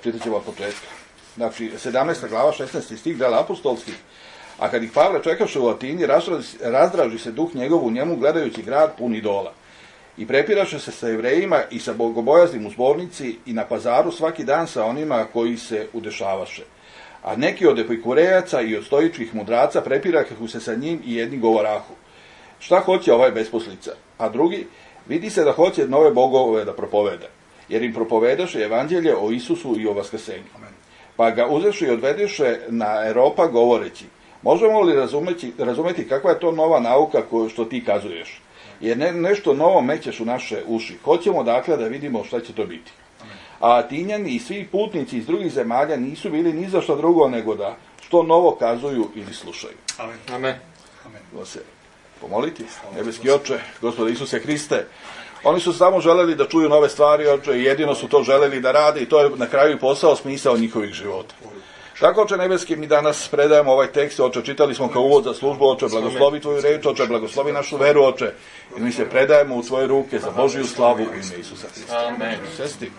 Čitat ćemo od početka. Znači, 17. glava, 16. stih dela apostolskih. A kad ih Pavle čekaše u Atini, razdraži se duh njegov u njemu, gledajući grad pun idola. I prepiraše se sa Jevrejima i sa bogobojaznim u zbornici i na pazaru svaki dan sa onima koji se udešavaše. A neki od epikurejaca i od stoičkih mudraca prepirahu se sa njim i jedni govorahu. Šta hoće ovaj besposlica? A drugi, vidi se da hoće nove bogove da propoveda, jer im propovedaše evanđelje o Isusu i o vaskrsenju. Pa ga uzeše i odvedeše na Eropa govoreći, možemo li razumeti kakva je to nova nauka što ti kazuješ? Jer nešto novo mećeš u naše uši. Hoćemo dakle da vidimo šta će to biti. A Atinjani i svi putnici iz drugih zemalja nisu bili ni za što drugo nego da što novo kazuju ili slušaju. Amen. Amen. Amen. Se pomoliti. Nebeski Oče, Gospode Isuse Hriste, oni su samo želeli da čuju nove stvari, Oče, i jedino su to želeli da rade i to je na kraju posao, smisao njihovih života. Tako, Oče Nebeski, mi danas predajemo ovaj tekst, Oče, čitali smo kao uvod za službu, Oče, blagoslovi Tvoju reč, Oče, blagoslovi našu veru, Oče, i mi se predajemo u Tvoje ruke za Božiju slavu u ime Isusa Hrista. Amen. Sesti.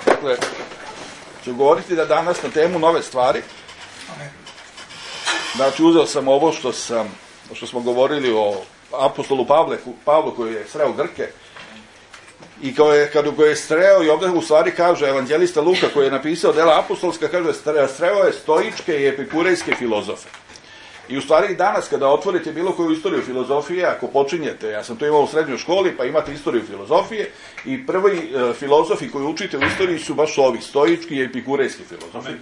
Dakle, ću govoriti da danas na temu nove stvari. Znači, uzeo sam ovo što smo govorili o apostolu Pavlu koji je sreo Grke i kada je sreo i ovdje u stvari kaže evanđelista Luka koji je napisao dela apostolska, kaže sreo je stoičke i epikurejske filozofe. I u stvari danas kada otvorite bilo koju istoriju filozofije, ako počinjete, ja sam to imao u srednjoj školi, pa imate istoriju filozofije i prvi filozofi koji učite u istoriji su baš ovi, stoički i epikurejski filozofi.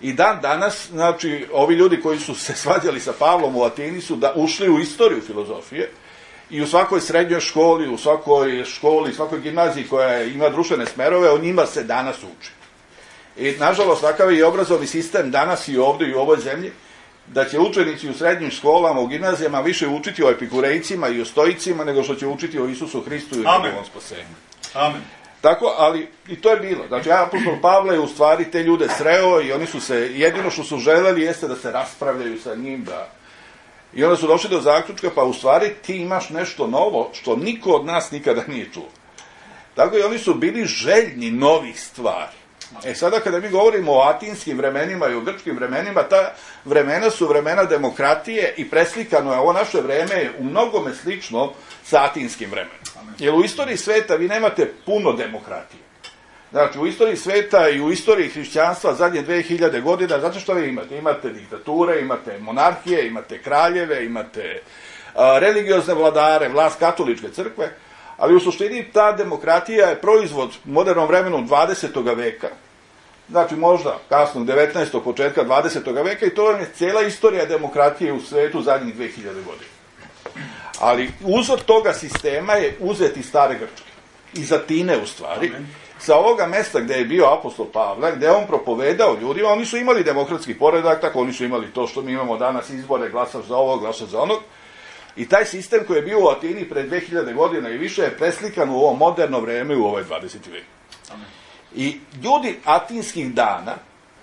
I danas, znači, ovi ljudi koji su se svađali sa Pavlom u Atini su ušli u istoriju filozofije i u svakoj srednjoj školi, u svakoj školi, svakoj gimnaziji koja ima društvene smerove, o njima se danas uči. I, nažalost, takav je i obrazovni sistem danas i ovdje i u ovoj zemlji, da će učenici u srednjim školama, u gimnazijama više učiti o epikurejcima i o stoicima nego što će učiti o Isusu Hristu i njegovom spasenju. Amen. Tako, ali i to je bilo. Znači, apostol Pavle je u stvari te ljude sreo i oni su se, jedino što su želeli jeste da se raspravljaju sa njim, i onda su došli do zaključka, pa u stvari ti imaš nešto novo što niko od nas nikada nije čuo. Tako i oni su bili željni novih stvari. Sada kada mi govorimo o atinskim vremenima i o grčkim vremenima, ta vremena su vremena demokratije i preslikano je ovo naše vreme u mnogome slično sa atinskim vremenom. Jer u istoriji sveta vi nemate puno demokratije. Znači, u istoriji sveta i u istoriji hrišćanstva zadnje 2000 godina, znate što vi imate? Imate diktature, imate monarhije, imate kraljeve, imate religiozne vladare, vlast katoličke crkve, ali u suštini ta demokratija je proizvod u modernom vremenu 20. veka, znači možda kasnog 19. početka 20. veka i to je cijela istorija demokratije u svetu zadnjih 2000 godina. Ali uzor toga sistema je uzet iz stare Grčke, iz Atine u stvari, sa ovoga mesta gde je bio apostol Pavle, gde on propovedao ljudima, oni su imali demokratski poredak, tako oni su imali to što mi imamo danas izbore, glasaš za ovog, glasaš za onog. I taj sistem koji je bio u Atini pred 2000 godina i više je preslikan u ovo moderno vreme u ovaj 20. vek. I ljudi atinskih dana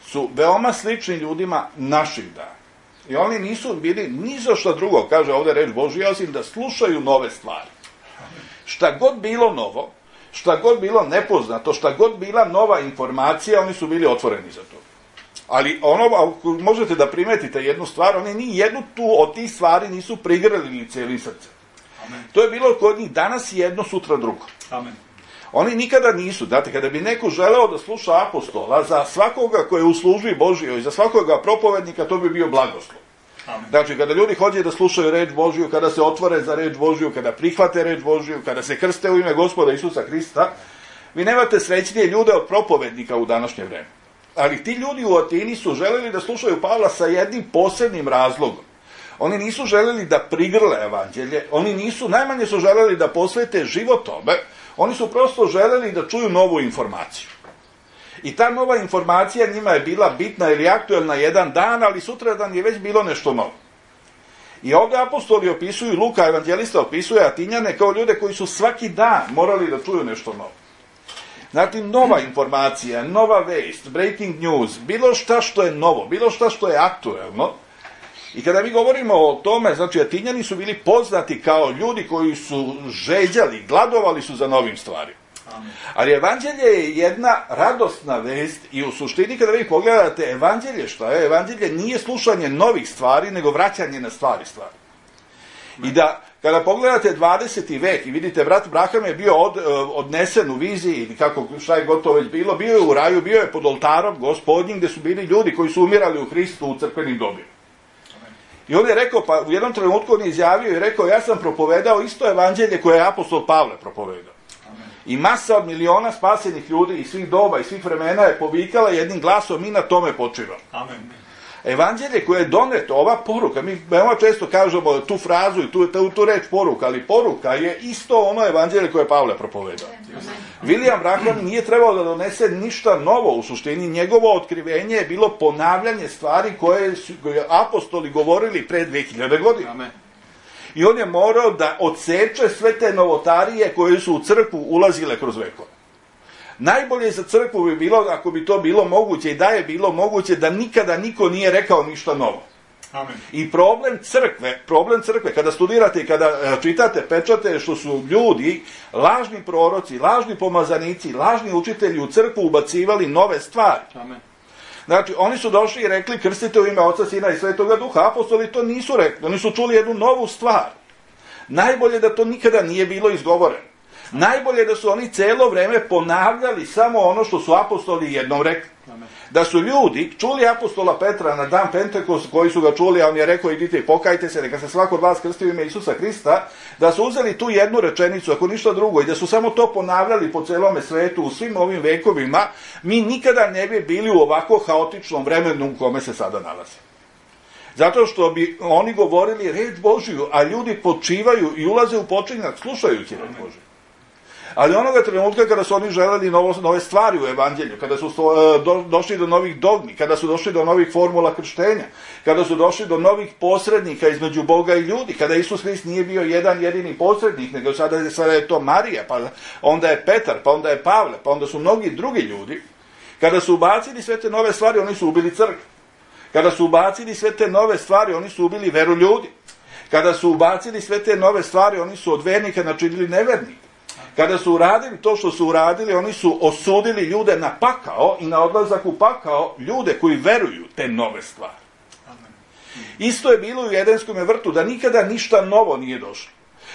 su veoma slični ljudima naših dana. I oni nisu bili ni za što drugo, kaže ovdje reč Božja, osim da slušaju nove stvari. Šta god bilo novo, šta god bilo nepoznato, šta god bila nova informacija, oni su bili otvoreni za to. Ali ako možete da primetite jednu stvar, oni ni jednu tu od tih stvari nisu prigrlili ni cijelim srcem. To je bilo kod njih danas jedno, sutra drugo. Amen. Oni nikada nisu, znate, kada bi neko želeo da sluša apostola, za svakoga koje je u službi Božjoj i za svakoga propovednika, to bi bio blagoslov. Amen. Znači, kada ljudi hoće da slušaju reč Božju, kada se otvore za reč Božju, kada prihvate reč Božju, kada se krste u ime Gospoda Isusa Hrista, vi nemate srećnije ljude od propovednika u današnje vreme. Ali ti ljudi u Atini su želeli da slušaju Pavla sa jednim posebnim razlogom. Oni nisu želeli da prigrle evanđelje, najmanje su želeli da posvete život tome, oni su prosto želeli da čuju novu informaciju. I ta nova informacija njima je bila bitna ili aktuelna jedan dan, ali sutradan je već bilo nešto novo. I ovdje apostoli opisuju, Luka evanđelista opisuje Atinjane kao ljude koji su svaki dan morali da čuju nešto novo. Znači, nova informacija, nova vest, breaking news, bilo šta što je novo, bilo šta što je aktuelno. I kada mi govorimo o tome, znači, Atinjani su bili poznati kao ljudi koji su žeđali, gladovali su za novim stvarima. Ali evanđelje je jedna radosna vest i u suštini kada vi pogledate evanđelje, šta je? Evanđelje nije slušanje novih stvari, nego vraćanje na stvari. I da, kada pogledate 20. vek i vidite, brat Braham je bio odnesen u viziji, ili kako, šta je gotovo već bilo, bio je u raju, bio je pod oltarom gospodnjim, gde su bili ljudi koji su umirali u Hristu u crkvenim dobima. I on je rekao, pa u jednom trenutku on je izjavio i rekao, ja sam propovedao isto evanđelje koje je apostol Pavle propovedao. I masa od miliona spasenih ljudi iz svih doba i svih vremena je povikala jednim glasom, mi na tome počivamo. Amen. Evanđelje koje je doneto, ova poruka, mi veoma često kažemo tu frazu i tu reč poruka, ali poruka je isto ono evanđelje koje je Pavle propovedao. William Branham nije trebao da donese ništa novo u suštini, njegovo otkrivenje je bilo ponavljanje stvari koje su apostoli govorili pre 2000 godina. Amen. I on je morao da odseče sve te novotarije koje su u crkvu ulazile kroz vekove. Najbolje za crkvu bi bilo, ako bi to bilo moguće i da je bilo moguće, da nikada niko nije rekao ništa novo. Amen. I problem crkve, kada studirate i kada čitate pečate, što su ljudi, lažni proroci, lažni pomazanici, lažni učitelji u crkvu ubacivali nove stvari. Amen. Znači, oni su došli i rekli, krstite u ime Oca, Sina i Svetoga Duha. Apostoli to nisu rekli, oni su čuli jednu novu stvar. Najbolje da to nikada nije bilo izgovoreno. Najbolje da su oni celo vreme ponavljali samo ono što su apostoli jednom rekli. Da su ljudi čuli apostola Petra na dan Pentekost, koji su ga čuli, a on je rekao, idite i pokajte se, neka se svako od vas krsti u ime Isusa Hrista, da su uzeli tu jednu rečenicu, ako ništa drugo, i da su samo to ponavljali po celome svetu, u svim ovim vekovima, mi nikada ne bi bili u ovako haotičnom vremenu u kome se sada nalazi. Zato što bi oni govorili reč Božiju, a ljudi počivaju i ulaze u počinjak slušajući reč Božiju. Ali onoga trenutka kada su oni želeli nove stvari u evanđelju, kada su došli do novih dogmi, kada su došli do novih formula krštenja, kada su došli do novih posrednika između Boga i ljudi, kada Isus Hrist nije bio jedan jedini posrednik, nego sada je to Marija, pa onda je Petar, pa onda je Pavle, pa onda su mnogi drugi ljudi, kada su ubacili sve te nove stvari, oni su ubili crkvu. Kada su ubacili sve te nove stvari, oni su ubili veru ljudi. Kada su ubacili sve te nove stvari, oni su od vernika načinili nevernike. Kada su uradili to što su uradili, oni su osudili ljude na pakao i na odlazak u pakao ljude koji veruju te nove stvari. Isto je bilo u Edenskom vrtu, da nikada ništa novo nije došlo.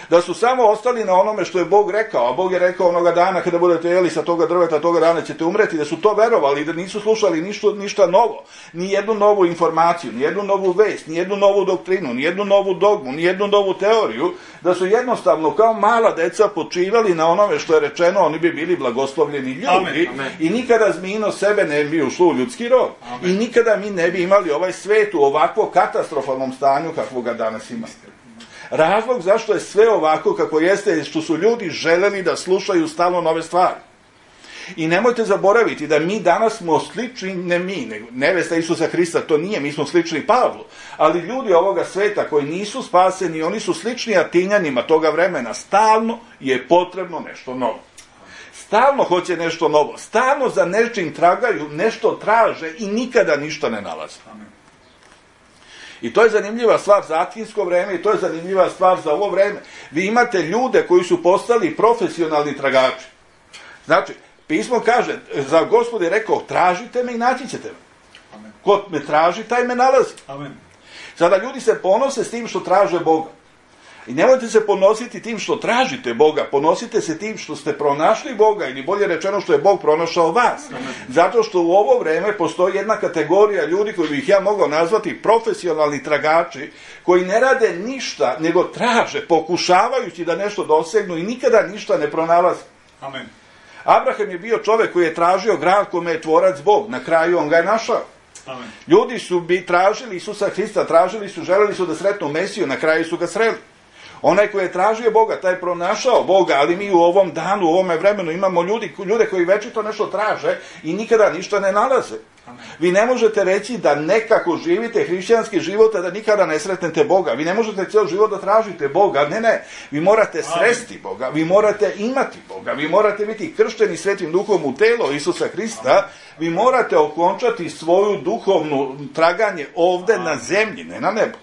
Da su samo ostali na onome što je Bog rekao, a Bog je rekao onoga dana kada budete jeli sa toga drveta, toga dana ćete umreti, da su to verovali i da nisu slušali ništa novo, ni jednu novu informaciju, ni jednu novu vest, ni jednu novu doktrinu, ni jednu novu dogmu, ni jednu novu teoriju, da su jednostavno kao mala deca počivali na onome što je rečeno, oni bi bili blagoslovljeni ljudi. Amen. I nikada zmino sebe ne bi ušlo u ljudski rod. Amen. I nikada mi ne bi imali ovaj svet u ovako katastrofalnom stanju kakvog ga danas imamo. Razlog zašto je sve ovako kako jeste je što su ljudi želeli da slušaju stalno nove stvari. I nemojte zaboraviti da mi danas smo slični, ne mi, nego nevesta Isusa Hrista, to nije, mi smo slični Pavlu, ali ljudi ovoga sveta koji nisu spaseni, oni su slični Atinjanima toga vremena, stalno je potrebno nešto novo. Stalno hoće nešto novo, stalno za nečim tragaju, nešto traže i nikada ništa ne nalaze. I to je zanimljiva stvar za atinsko vreme i to je zanimljiva stvar za ovo vreme. Vi imate ljude koji su postali profesionalni tragači. Znači, pismo kaže, za Gospod je rekao, tražite me i naći ćete me. Amen. Ko me traži, taj me nalazi. Amen. Sada ljudi se ponose s tim što traže Boga. I nemojte se ponositi tim što tražite Boga, ponosite se tim što ste pronašli Boga, ili bolje rečeno što je Bog pronašao vas. Zato što u ovo vreme postoji jedna kategorija ljudi koju bih ja mogao nazvati profesionalni tragači, koji ne rade ništa, nego traže, pokušavajući da nešto dosegnu i nikada ništa ne pronalaze. Amen. Abraham je bio čovek koji je tražio grad kome je tvorac Bog, na kraju on ga je našao. Amen. Ljudi su tražili Isusa Hrista, želeli su da sretnu Mesiju, na kraju su ga sreli. Onaj koji je tražio Boga, taj je pronašao Boga, ali mi u ovom danu, u ovome vremenu imamo ljude koji večito nešto traže i nikada ništa ne nalaze. Vi ne možete reći da nekako živite hrišćanski život, a da nikada ne sretnete Boga. Vi ne možete cijel život da tražite Boga. Ne. Vi morate sresti Boga, vi morate imati Boga, vi morate biti kršteni Svetim Duhom u telo Isusa Hrista, vi morate okončati svoju duhovnu traganje ovde na zemlji, ne na nebu.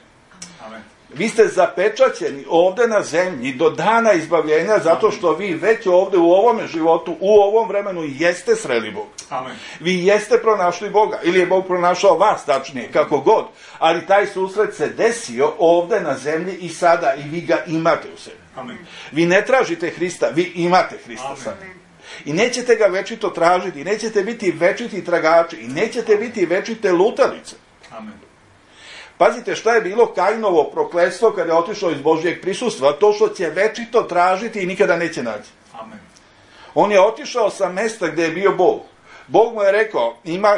Vi ste zapečaćeni ovdje na zemlji do dana izbavljenja, zato što vi već ovdje u ovome životu, u ovom vremenu jeste sreli Boga. Amen. Vi jeste pronašli Boga, ili je Bog pronašao vas, tačnije, kako god, ali taj susret se desio ovdje na zemlji i sada, i vi ga imate u sebi. Amen. Vi ne tražite Hrista, vi imate Hrista sada. I nećete ga večito tražiti, i nećete biti večiti tragači, i nećete biti večite lutalice. Amen. Pazite šta je bilo Kainovo prokletstvo kada je otišao iz Božjeg prisustva, to što će večito tražiti i nikada neće naći. Amen. On je otišao sa mesta gdje je bio Bog. Bog mu je rekao,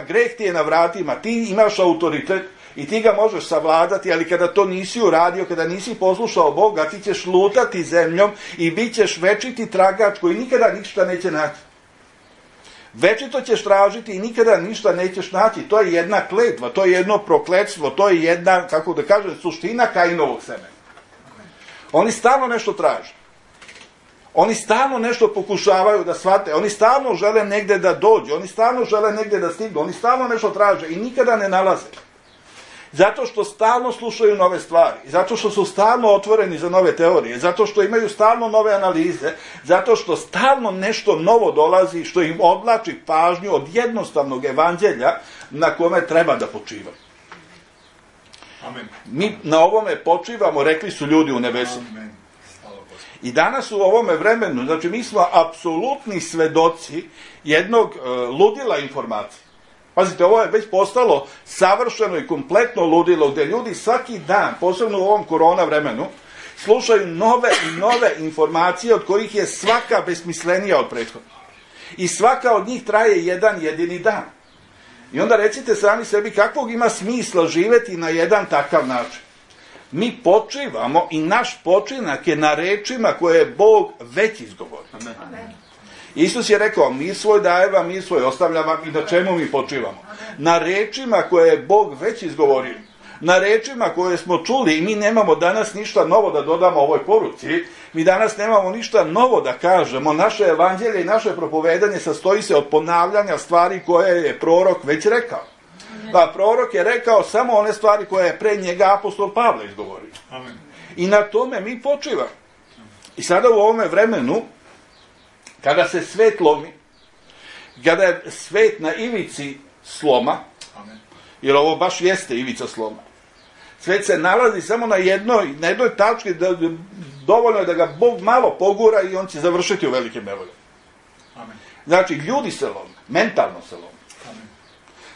greh ti je na vratima, ti imaš autoritet i ti ga možeš savladati, ali kada to nisi uradio, kada nisi poslušao Boga, ti ćeš lutati zemljom i bit ćeš večiti tragač koji nikada ništa neće naći. Večito ćeš tražiti i nikada ništa nećeš naći. To je jedna kletva, to je jedno prokletstvo, to je jedna, kako da kažem, suština Kainovog semena. Oni stalno nešto traže. Oni stalno nešto pokušavaju da shvate. Oni stalno žele negdje da dođu. Oni stalno žele negdje da stignu. Oni stalno nešto traže i nikada ne nalaze. Zato što stalno slušaju nove stvari, zato što su stalno otvoreni za nove teorije, zato što imaju stalno nove analize, zato što stalno nešto novo dolazi što im odvlači pažnju od jednostavnog evanđelja na kome treba da počivaju. Amen. Mi na ovome počivamo, rekli su ljudi u nebesu. Amen. I danas u ovome vremenu, znači mi smo apsolutni svedoci jednog ludila informacije. Pazite, ovo je već postalo savršeno i kompletno ludilo, gdje ljudi svaki dan, posebno u ovom korona vremenu, slušaju nove i nove informacije od kojih je svaka besmislenija od prethodnih. I svaka od njih traje jedan jedini dan. I onda recite sami sebi kakvog ima smisla živjeti na jedan takav način. Mi počivamo i naš počinak je na rečima koje je Bog već izgovorio. Amen. Isus je rekao, mir svoj daje vam, mir svoj ostavlja vam, i na čemu mi počivamo? Na rečima koje je Bog već izgovorio. Na rečima koje smo čuli, i mi nemamo danas ništa novo da dodamo ovoj poruci. Mi danas nemamo ništa novo da kažemo. Naše evanđelje i naše propovedanje sastoji se od ponavljanja stvari koje je prorok već rekao. Pa prorok je rekao samo one stvari koje je pre njega apostol Pavle izgovorio. Amen. I na tome mi počivamo. I sada u ovome vremenu, kada se svet lomi, kada je svet na ivici sloma, Amen. jer ovo baš jeste ivica sloma, svet se nalazi samo na jednoj tački, dovoljno je da ga Bog malo pogura i on će završiti u velikim nevoljama. Amen. Znači, ljudi se lome, mentalno se lome. Amen.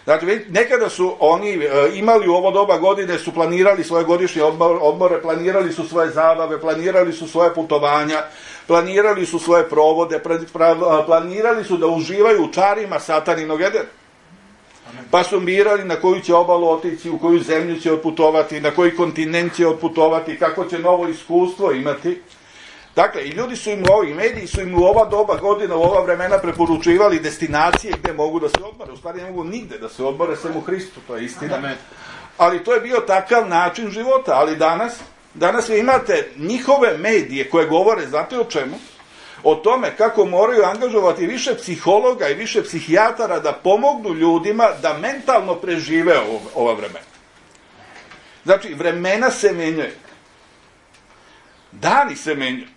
Znači, nekada su oni imali u ovo doba godine, su planirali svoje godišnje odmore, planirali su svoje zabave, planirali su svoje putovanja, planirali su svoje provode, planirali su da uživaju u čarima sataninog Edena. Pa su birali na koju će obalu otići, u koju zemlju će otputovati, na koji kontinent će otputovati, kako će novo iskustvo imati. Dakle, i ljudi su im i mediji su im u ova doba godina, u ova vremena preporučivali destinacije gdje mogu da se odmore. U stvari ne mogu nigde da se odmore, sem u Hristu, to je istina. Amen. Ali to je bio takav način života. Ali danas vi imate njihove medije koje govore, znate o čemu? O tome kako moraju angažovati više psihologa i više psihijatara da pomognu ljudima da mentalno prežive ova vremena. Znači, vremena se menjaju. Dani se menjaju.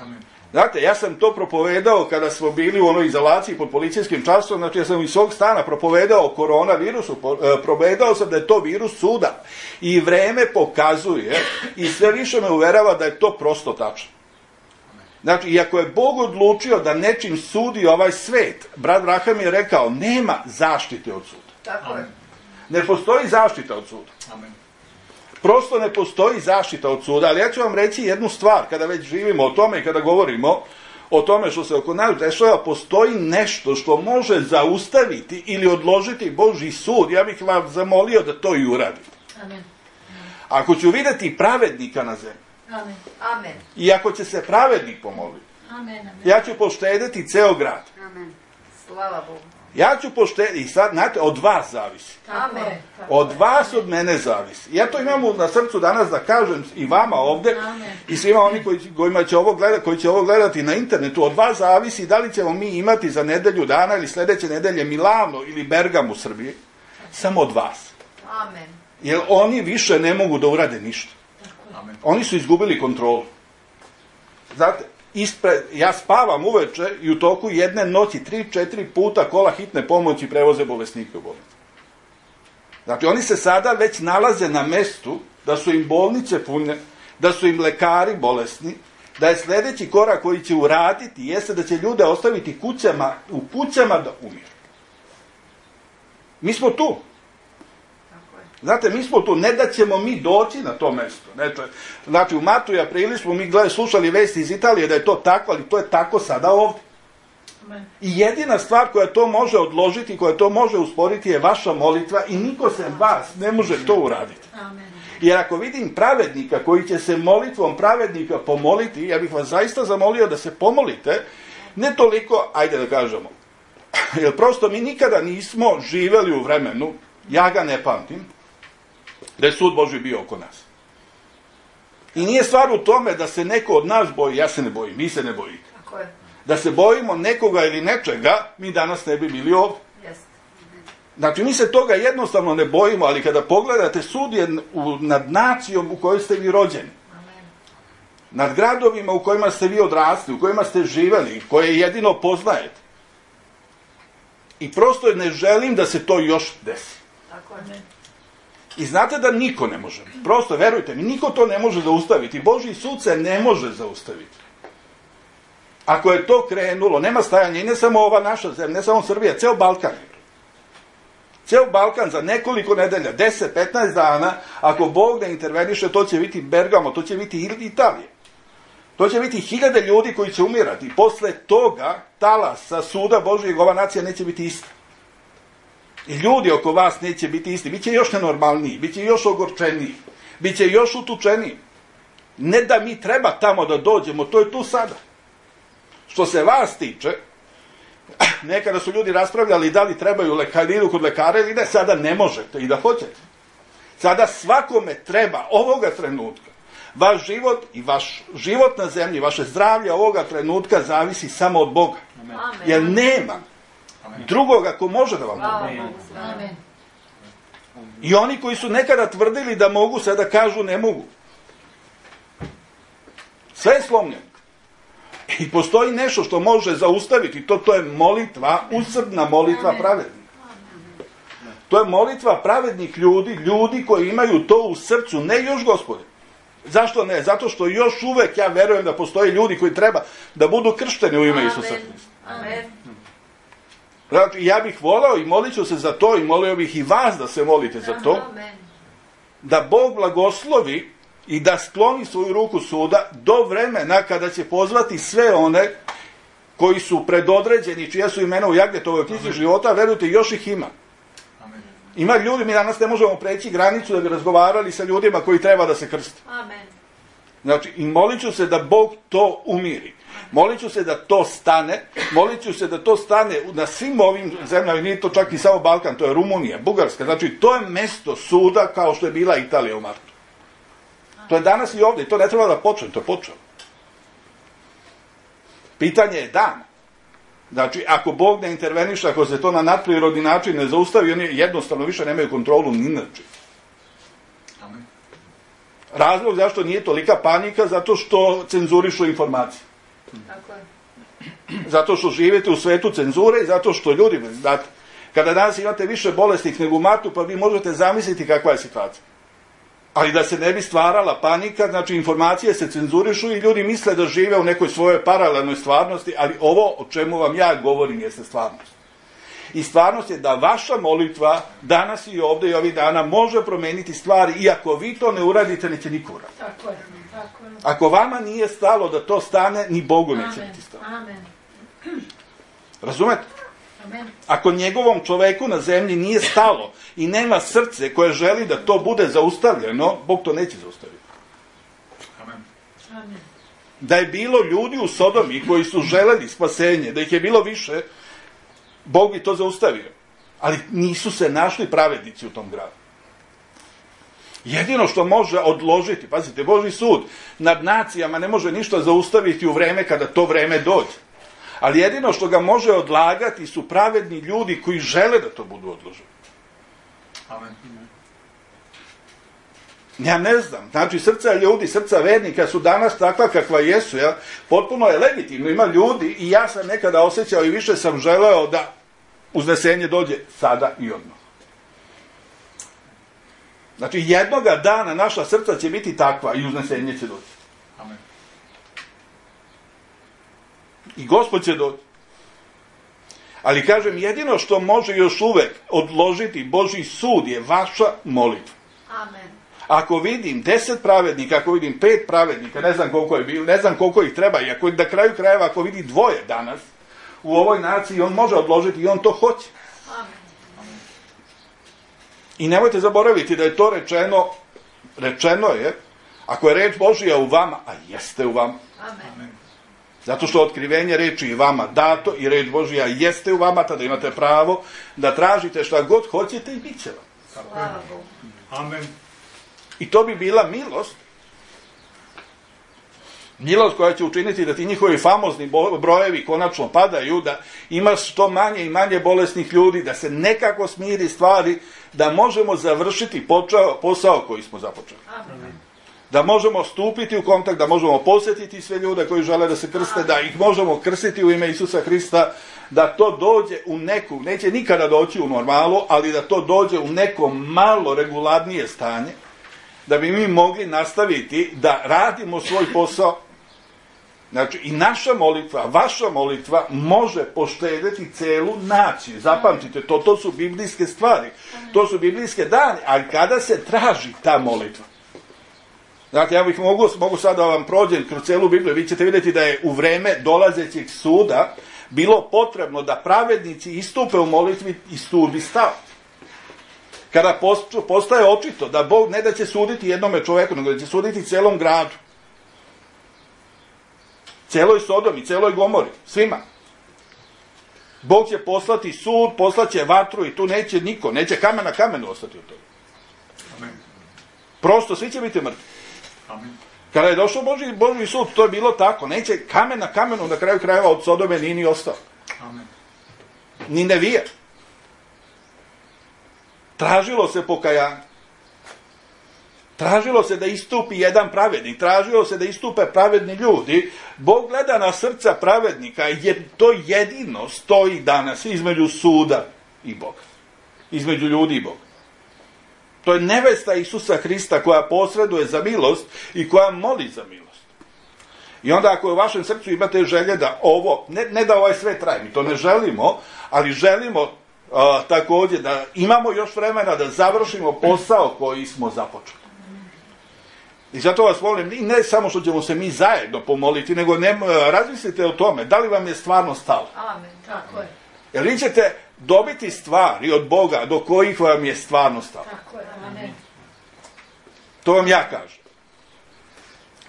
Amen. Znate, ja sam to propovedao kada smo bili u onoj izolaciji pod policijskim časom, znači ja sam iz svog stana propovedao o koronavirusu, propovedao sam da je to virus suda. I vreme pokazuje i sve više me uverava da je to prosto tačno. Znači, iako je Bog odlučio da nečim sudi ovaj svet, brat Braham je rekao, nema zaštite od suda. Tako je. Ne postoji zaštita od suda. Amen. Prosto ne postoji zaštita od suda, ali ja ću vam reći jednu stvar, kada već živimo o tome i kada govorimo o tome što se oko nas dešava, postoji nešto što može zaustaviti ili odložiti Božji sud. Ja bih vam zamolio da to i uradite. Amen. Ako ću vidjeti pravednika na zemlji, Amen. Amen. i ako će se pravednik pomoliti, Amen. Amen. ja ću poštediti ceo grad. Amen. Slava Bogu. Ja ću poštediti, i sad, znate, od vas zavisi. Amen. Od vas, od mene zavisi. Ja to imam na srcu danas da kažem i vama ovdje, Amen. i svima oni koji će ovo gledati na internetu. Od vas zavisi da li ćemo mi imati za nedelju dana ili sljedeće nedelje Milano ili Bergam u Srbiji. Samo od vas. Amen. Jer oni više ne mogu da urade ništa. Amen. Oni su izgubili kontrolu. Znate, ja spavam uveče i u toku jedne noći 3-4 puta kola hitne pomoći prevoze bolesnike u bolnicu. Znači, oni se sada već nalaze na mestu da su im bolnice pune, da su im lekari bolesni, da je sljedeći korak koji će uraditi jeste da će ljude ostaviti u kućama da umiru. Mi smo tu. Znate, mi smo tu, ne da ćemo mi doći na to mesto. Znači, u martu i aprilu smo mi slušali vesti iz Italije da je to tako, ali to je tako sada ovdje. I jedina stvar koja to može odložiti, koja to može usporiti je vaša molitva i niko se vas ne može to uraditi. Jer ako vidim pravednika koji će se molitvom pravednika pomoliti, ja bih vas zaista zamolio da se pomolite, ne toliko, ajde da kažemo, jer prosto mi nikada nismo živjeli u vremenu, ja ga ne pamtim, da je sud Božji bio oko nas. I nije stvar u tome da se neko od nas boji, ja se ne bojim, vi se ne bojite. Da se bojimo nekoga ili nečega, mi danas ne bi bili ovdje. Znači, mi se toga jednostavno ne bojimo, ali kada pogledate, sud je nad nacijom u kojoj ste vi rođeni. Nad gradovima u kojima ste vi odrasli, u kojima ste živjeli, koje jedino poznajete. I prosto ne želim da se to još desi. I znate da niko ne može. Prosto, verujte mi, niko to ne može zaustaviti. Božji sud se ne može zaustaviti. Ako je to krenulo, nema stajanja i ne samo ova naša zemlja, ne samo Srbija, ceo Balkan. Ceo Balkan za nekoliko nedelja, 10-15 dana, ako Bog ne interveniše, to će biti Bergamo, to će biti Italija. To će biti 1000 ljudi koji će umirati. I posle toga, talasa suda Božijeg, ova nacija neće biti ista. I ljudi oko vas neće biti isti. Biće još nenormalniji, biće još ogorčeniji, biće još utučeniji. Ne da mi treba tamo da dođemo, to je tu sada. Što se vas tiče, nekada su ljudi raspravljali da li trebaju lekariru kod lekara ili ne, sada ne možete i da hoćete. Sada svakome treba ovoga trenutka. Vaš život i vaš život na zemlji, vaše zdravlje ovoga trenutka zavisi samo od Boga. Amen. Jer nema drugoga ko može da vam pomogne. Amen. I oni koji su nekada tvrdili da mogu, sada kažu ne mogu. Sve je slomljeno. I postoji nešto što može zaustaviti, to je molitva, usrdna molitva pravednika. To je molitva pravednih ljudi koji imaju to u srcu, ne još Gospode. Zašto ne? Zato što još uvek ja verujem da postoje ljudi koji treba da budu kršteni u ime Isusa Hrista. Amen. Znači, ja bih voleo i molit ću se za to i molio bih i vas da se molite za to, da Bog blagoslovi i da skloni svoju ruku suda do vremena kada će pozvati sve one koji su predodređeni, čija su imena u Jagnetovoj knjizi života, verujte, još ih ima. Ima ljudi, mi danas ne možemo preći granicu da bi razgovarali sa ljudima koji treba da se krste. Amen. Znači, i molit ću se da Bog to umiri. Molit ću se da to stane, molit ću se da to stane na svim ovim zemljama, nije to čak i samo Balkan, to je Rumunija, Bugarska, znači to je mesto suda kao što je bila Italija u martu. To je danas i ovdje, to ne treba da počne, to je počelo. Pitanje je dan. Znači, ako Bog ne interveniše, ako se to na nadprirodni način ne zaustavi, oni jednostavno više nemaju kontrolu ni na čim. Razlog zašto nije tolika panika, zato što cenzurišu informacije. Tako je. Zato što živite u svetu cenzure i zato što ljudi, znate, kada danas imate više bolesnih nego u martu, pa vi možete zamisliti kakva je situacija. Ali da se ne bi stvarala panika, znači informacije se cenzurišu i ljudi misle da žive u nekoj svojoj paralelnoj stvarnosti, ali ovo o čemu vam ja govorim jeste stvarnost. I stvarnost je da vaša molitva danas i ovdje i ovih dana može promeniti stvari i ako vi to ne uradite, neće niko uraditi. Tako je. Tako je. Ako vama nije stalo da to stane, ni Bogu neće biti stalo. Amen. Razumete? Amen. Ako njegovom čoveku na zemlji nije stalo i nema srce koje želi da to bude zaustavljeno, Bog to neće zaustaviti. Amen. Amen. Da je bilo ljudi u Sodomi koji su želeli spasenje, da ih je bilo više, Bog bi to zaustavio. Ali nisu se našli pravednici u tom gradu. Jedino što može odložiti, pazite, Božji sud nad nacijama ne može ništa zaustaviti u vreme kada to vreme dođe. Ali jedino što ga može odlagati su pravedni ljudi koji žele da to budu odloženi. Amen. Ja ne znam, znači srca ljudi, srca vernika su danas takva kakva jesu, ja? Potpuno je legitimno, ima ljudi i ja sam nekada osjećao i više sam želeo da uznesenje dođe sada i odmah. Znači jednoga dana naša srca će biti takva i uznesenje će doći. Amen. I Gospod će doći. Ali kažem, jedino što može još uvek odložiti Božji sud je vaša molitva. Amen. Ako vidim 10 pravednika, ako vidim 5 pravednika, ne znam koliko je bilo, ne znam koliko ih treba, i ako na kraju krajeva, ako vidi 2 danas u ovoj naciji, on može odložiti i on to hoće. Amen. I nemojte zaboraviti da je to rečeno je, ako je reč Božja u vama, a jeste u vama. Amen. Zato što otkrivenje reči je vama dato i reč Božja jeste u vama, tada imate pravo da tražite šta god hoćete i bit će vam. Slava Bogu. Amen. I to bi bila milost. Milost koja će učiniti da ti njihovi famozni brojevi konačno padaju, da ima što manje i manje bolesnih ljudi, da se nekako smiri stvari, da možemo završiti posao koji smo započeli. Amen. Da možemo stupiti u kontakt, da možemo posjetiti sve ljude koji žele da se krste, da ih možemo krstiti u ime Isusa Hrista, da to dođe u neku, neće nikada doći u normalu, ali da to dođe u neko malo regularnije stanje, da bi mi mogli nastaviti da radimo svoj posao. Znači, i naša molitva, vaša molitva može poštedeti celu naciju. Zapamtite, to su biblijske stvari. To su biblijske dane, ali kada se traži ta molitva? Znate, ja mogu sad da vam prođem kroz celu Bibliju, vi ćete vidjeti da je u vreme dolazećeg suda bilo potrebno da pravednici istupe u molitvi i sud bi stao. Kada postaje očito da Bog ne da će suditi jednome čoveku, nego da će suditi celom gradu. Celoj Sodomi, celoj Gomori, svima. Bog će poslati sud, poslaće vatru i tu neće niko, neće kamen na kamenu ostati od toga. Amen. Prosto, svi će biti mrtvi. Amen. Kada je došao Božji sud, to je bilo tako. Neće kamen na kamenu na kraju krajeva od Sodome nije ni ostao. Amen. Ni Nevija. Tražilo se pokajanje. Tražilo se da istupi jedan pravednik. Tražilo se da istupe pravedni ljudi. Bog gleda na srca pravednika jer to jedino stoji danas između suda i Boga. Između ljudi i Boga. To je nevesta Isusa Hrista koja posreduje za milost i koja moli za milost. I onda ako u vašem srcu imate želje da ovo, ne da ovaj sve traje, mi to ne želimo, ali želimo također da imamo još vremena da završimo posao koji smo započeli. I zato vas molim, ne samo što ćemo se mi zajedno pomoliti, nego razmislite o tome, da li vam je stvarno stalo. Amen, tako je. Jer vi ćete dobiti stvari od Boga do kojih vam je stvarno stalo. Tako je, amen. To vam ja kažem.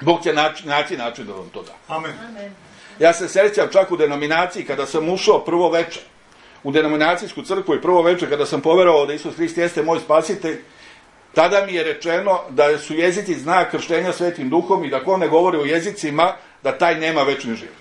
Bog će naći način da vam to da. Amen. Amen. Ja se sjećam čak u denominaciji kada sam ušao prvo večer u denominacijsku crkvu i prvo večer kada sam poverovao da Isus Hrist jeste moj spasitelj, tada mi je rečeno da su jezici znak krštenja Svetim Duhom i da ko ne govori o jezicima, da taj nema večni život.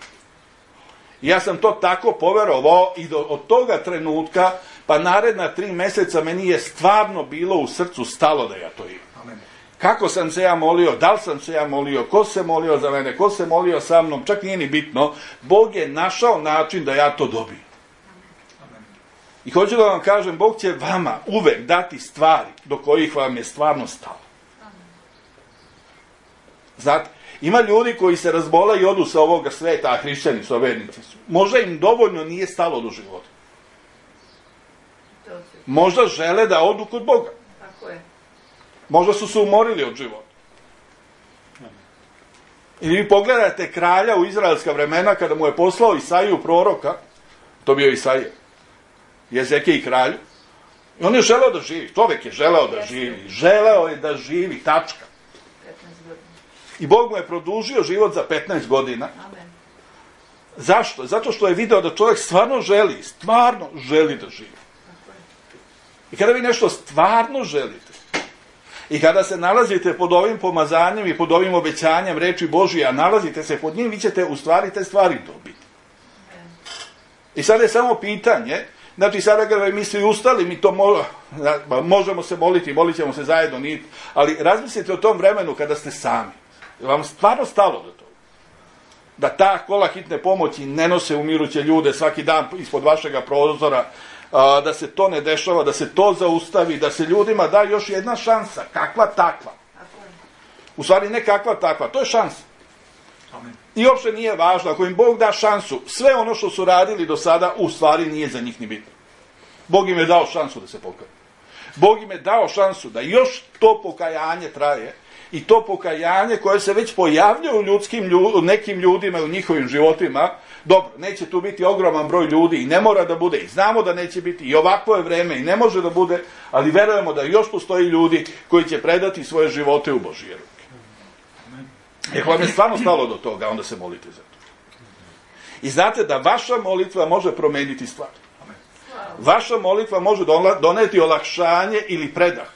I ja sam to tako poverovao i od toga trenutka, pa naredna 3 mjeseca meni je stvarno bilo u srcu stalo da ja to imam. Amen. Kako sam se ja molio, da li sam se ja molio, ko se molio za mene, ko se molio sa mnom, čak nije ni bitno. Bog je našao način da ja to dobijem. Amen. I hoću da vam kažem, Bog će vama uvek dati stvari do kojih vam je stvarno stalo. Znate, ima ljudi koji se razbole i odu sa ovoga sveta, a hrišćani su, a vernici su. Možda im dovoljno nije stalo do života. Možda žele da odu kod Boga. Tako je. Možda su se umorili od života. I vi pogledajte kralja u izraelska vremena kada mu je poslao Isaiju proroka, to bio Isaija, Jezekiji kralju, i on je želeo da živi, čovjek je želeo da živi, želeo je da živi, tačka. 15 godina. I Bog mu je produžio život za 15 godina. Amen. Zašto? Zato što je video da čovjek stvarno želi da živi. Tako je. I kada vi nešto stvarno želite, i kada se nalazite pod ovim pomazanjem i pod ovim obećanjem reči Božije, a nalazite se pod njim, vi ćete u stvari te stvari dobiti. I sad je samo pitanje, Znači, sada kada mi svi ustali, mi to možemo se moliti, molit ćemo se zajedno, ali razmislite o tom vremenu kada ste sami. Vam stvarno stalo do toga. Da ta kola hitne pomoći ne nose umiruće ljude svaki dan ispod vašega prozora, da se to ne dešava, da se to zaustavi, da se ljudima da još jedna šansa, kakva takva. U stvari ne kakva takva, to je šansa. Amen. I uopšte nije važno, ako im Bog da šansu, sve ono što su radili do sada, u stvari nije za njih ni bitno. Bog im je dao šansu da se pokaju. Bog im je dao šansu da još to pokajanje traje, i to pokajanje koje se već pojavlja u nekim ljudima u njihovim životima. Dobro, neće tu biti ogroman broj ljudi i ne mora da bude, i znamo da neće biti, i ovakvo je vreme i ne može da bude, ali verujemo da još postoji ljudi koji će predati svoje živote u Božije ruke. Ako vam je stvarno stalo do toga, onda se molite za to. I znate da vaša molitva može promeniti stvar. Vaša molitva može doneti olakšanje ili predah.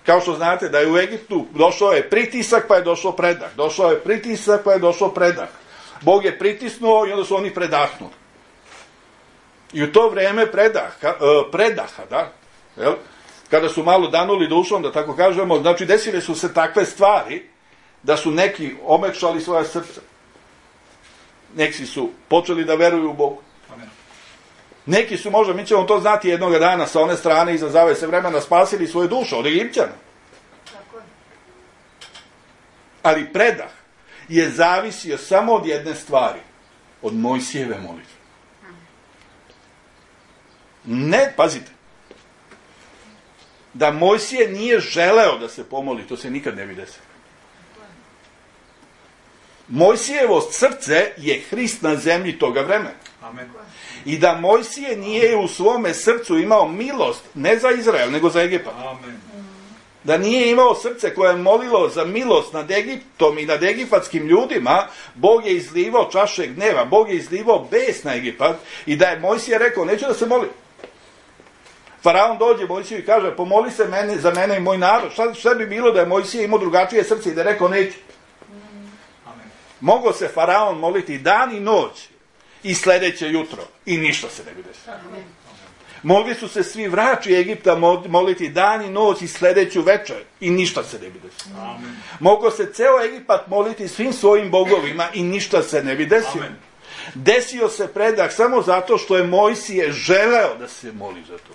Kao što znate da je u Egiptu došao je pritisak pa je došao predah. Došao je pritisak pa je došao predah. Bog je pritisnuo i onda su oni predahnuli. I u to vreme predaha, da, jel? Kada su malo danuli dušom, da tako kažemo, znači desile su se takve stvari da su neki omekšali svoja srca. Neki su počeli da veruju u Bogu. Neki su, možda, mi ćemo to znati jednog dana sa one strane iza zavese vremena, spasili svoje duše od Egipćana. Ali predah je zavisio samo od jedne stvari, od Mojsijeve molitve. Ne, pazite, da Mojsije nije želeo da se pomoli, to se nikad ne bi desilo. Mojsijevo srce je Hrist na zemlji toga vremena. Amen. I da Mojsije nije u svome srcu imao milost, ne za Izrael, nego za Egipat. Amen. Da nije imao srce koje je molilo za milost nad Egiptom i nad egipatskim ljudima, Bog je izlivao čaše gneva, Bog je izlivao bes na Egipat, i da je Mojsije rekao, neću da se molim. Faraon dođe Mojsiju i kaže, pomoli se za mene i moj narod. Šta bi bilo da je Mojsije imao drugačije srce i da je rekao, neću. Mogao se Faraon moliti dan i noć i sledeće jutro i ništa se ne bi desilo. Mogli su se svi vraći Egipta moliti dan i noć i sledeću večer i ništa se ne bi desilo. Mogao se ceo Egipat moliti svim svojim bogovima i ništa se ne bi desilo. Amen. Desio se predah samo zato što je Mojsije želeo da se moli za to.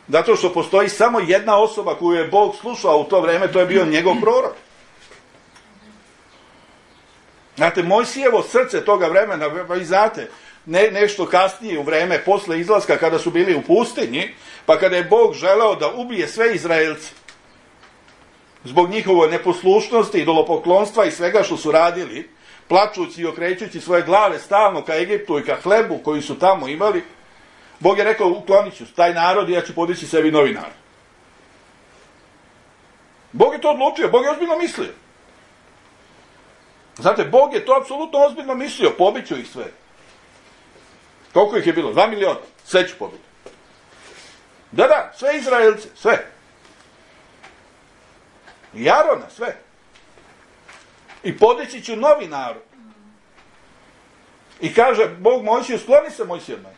Zato što postoji samo jedna osoba koju je Bog slušao u to vreme, to je bio njegov prorok. Znate, Mojsijevo srce toga vremena, vi znate, nešto kasnije u vreme, posle izlaska kada su bili u pustinji, pa kada je Bog želeo da ubije sve Izraelce, zbog njihove neposlušnosti, idolopoklonstva i svega što su radili, plačući i okrećući svoje glave stalno ka Egiptu i ka hlebu koji su tamo imali, Bog je rekao, uklonit ću taj narod i ja ću podići sebi novi narod. Bog je to odlučio, Bog je ozbiljno mislio. Znate, Bog je to apsolutno ozbiljno mislio, pobiću ih sve. Koliko ih je bilo? 2 miliona. Sve ću pobiti. Da, sve Izraelce, sve. I Arona, sve. I podići ću novi narod. I kaže Bog Mojsiju, skloni se Mojsije od mene.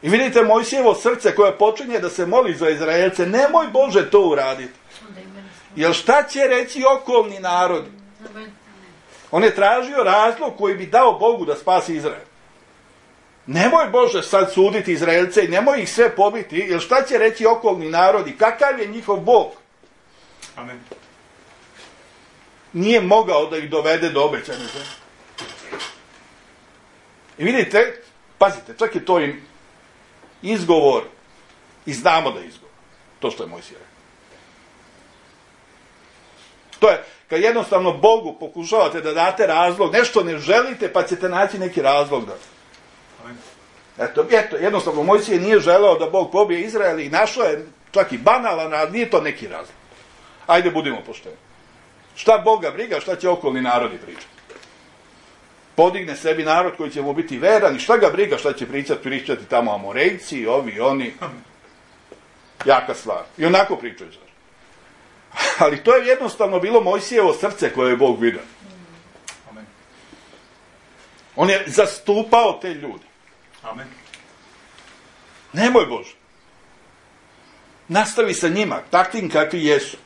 I vidite Mojsijevo srce koje počinje da se moli za Izraelce, nemoj Bože to uraditi. Jer šta će reći okolni narodi? On je tražio razlog koji bi dao Bogu da spasi Izrael. Nemoj Bože sad suditi Izraelce i nemoj ih sve pobiti, jer šta će reći okolni narodi? Kakav je njihov Bog? Amen. Nije mogao da ih dovede do obećane zemlje. I vidite, pazite, čak je to im izgovor, i znamo da je izgovor, to što je Mojsije rekao. To je, kad jednostavno Bogu pokušavate da date razlog, nešto ne želite, pa ćete naći neki razlog da. Eto, jednostavno Mojsije nije želeo da Bog pobije Izrael i našao je čak i banalan, ali nije to neki razlog. Ajde, budimo pošteni. Šta Boga briga, šta će okolni narodi pričati? Podigne sebi narod koji će mu biti veran i šta ga briga, šta će pričati tamo Amorejci, ovi, oni. Jaka stvar. I onako pričaju. Ali to je jednostavno bilo Mojsijevo srce koje je Bog vidio. On je zastupao te ljude. Amen. Nemoj Bože. Nastavi sa njima, takvim kakvi jesu.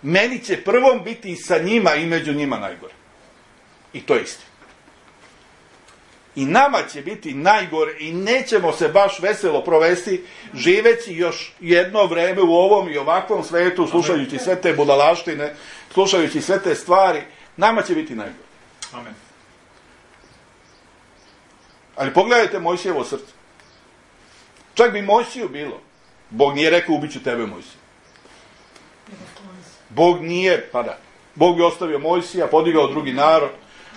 Meni će prvom biti i sa njima i među njima najgore. I to je istina. I nama će biti najgore i nećemo se baš veselo provesti živeći još jedno vreme u ovom i ovakvom svetu, slušajući sve te budalaštine, slušajući sve te stvari. Nama će biti najgore. Amen. Ali pogledajte Mojsijevo srce. Čak bi Mojsiju bilo. Bog nije rekao ubiću tebe, Mojsije. Bog nije, pa da. Bog bi ostavio Mojsija, podigao drugi narod.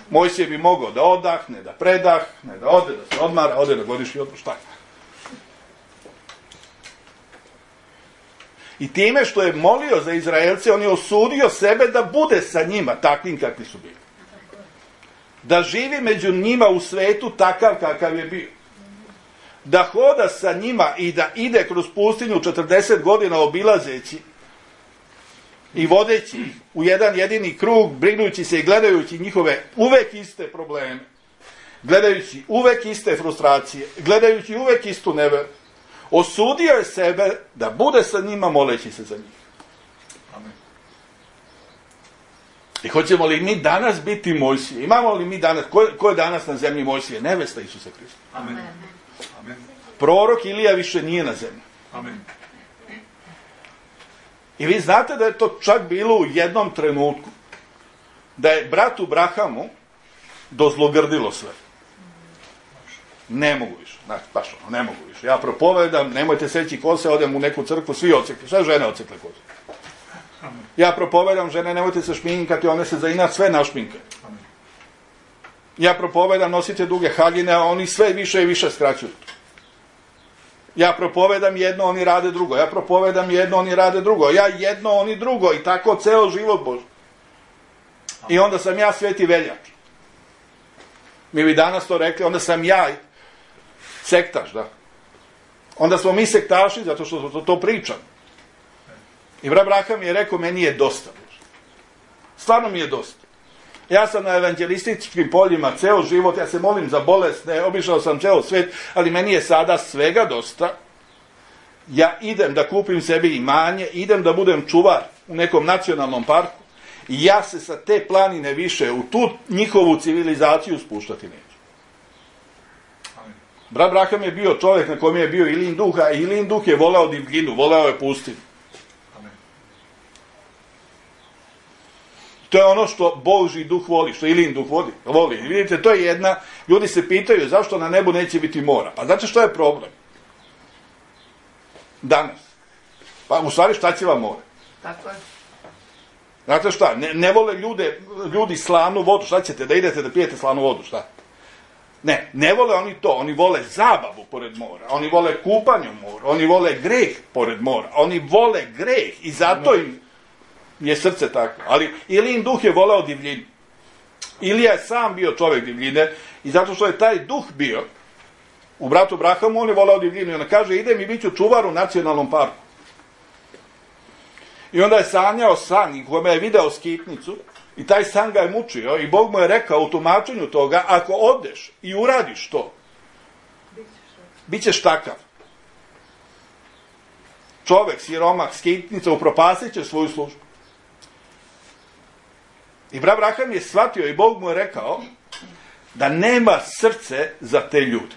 Mojsije bi mogao da odahne, da predahne, da ode, da se odmara, ode na godišnji odmor, šta? I time što je molio za Izraelce, on je osudio sebe da bude sa njima, takvim kakvi su bili. Da živi među njima u svetu takav kakav je bio. Da hoda sa njima i da ide kroz pustinju 40 godina obilazeći i vodeći ih u jedan jedini krug, brinujući se i gledajući njihove uvek iste probleme, gledajući uvek iste frustracije, gledajući uvek istu neveru, osudio je sebe da bude sa njima moleći se za njih. Amen. I hoćemo li mi danas biti Mojsije? Imamo li mi danas, ko je danas na zemlji Mojsije? Nevesta Isusa Hrista. Amen. Amen. Prorok Ilija više nije na zemlji. Amen. I vi znate da je to čak bilo u jednom trenutku, da je bratu Brahamu dozlogrdilo sve. Ne mogu više, znači, baš ono, ne mogu više. Ja propovedam, nemojte seći kose, odem u neku crkvu, svi ocekli, sve žene ocekle kose. Ja propovedam, žene, nemojte se šminkati, one se za inat sve našminkaju. Ja propovedam, nosite duge haljine, a oni sve više i više skraćuju. Ja propovedam jedno, oni rade drugo. Ja propovedam jedno, oni rade drugo. Ja jedno, oni drugo. I tako ceo život Bože. I onda sam ja Sveti Veljak. Mi bi danas to rekli, onda sam ja sektaš, da. Onda smo mi sektaši, zato što to pričam. I brat Braham je rekao, meni je dosta. Stvarno mi je dosta. Ja sam na evanđelističkim poljima ceo život, ja se molim za bolesne, obišao sam ceo svet, ali meni je sada svega dosta. Ja idem da kupim sebi imanje, idem da budem čuvar u nekom nacionalnom parku i ja se sa te planine više u tu njihovu civilizaciju spuštati neću. Brat Braham je bio čovjek na kojem je bio Ilin duh, a Ilin duh je voleo divljinu, voleo je pustinu. To je ono što Božji duh voli, što Ilin duh voli. I vidite, to je jedna, ljudi se pitaju zašto na nebu neće biti mora. Pa znate što je problem? Danas. Pa u stvari šta će vam more? Tako je. Znate šta, ne vole ljudi slanu vodu, šta ćete, da idete da pijete slanu vodu, šta? Ne vole oni to, oni vole zabavu pored mora, oni vole kupanje u moru, oni vole greh pored mora, oni vole greh i zato im je srce tako. Ali Ilin duh je voleo divljinu. Ilija je sam bio čovjek divljine i zato što je taj duh bio u bratu Brahamu, on je voleo divljinu i ona kaže, idem i bit ću čuvar u nacionalnom parku. I onda je sanjao san i kome je video skitnicu i taj san ga je mučio i Bog mu je rekao u tumačenju toga, ako odeš i uradiš to, bit ćeš takav. Čovek, siromah, skitnica, upropasit će svoju službu. I brat Braham je shvatio i Bog mu je rekao da nema srce za te ljude.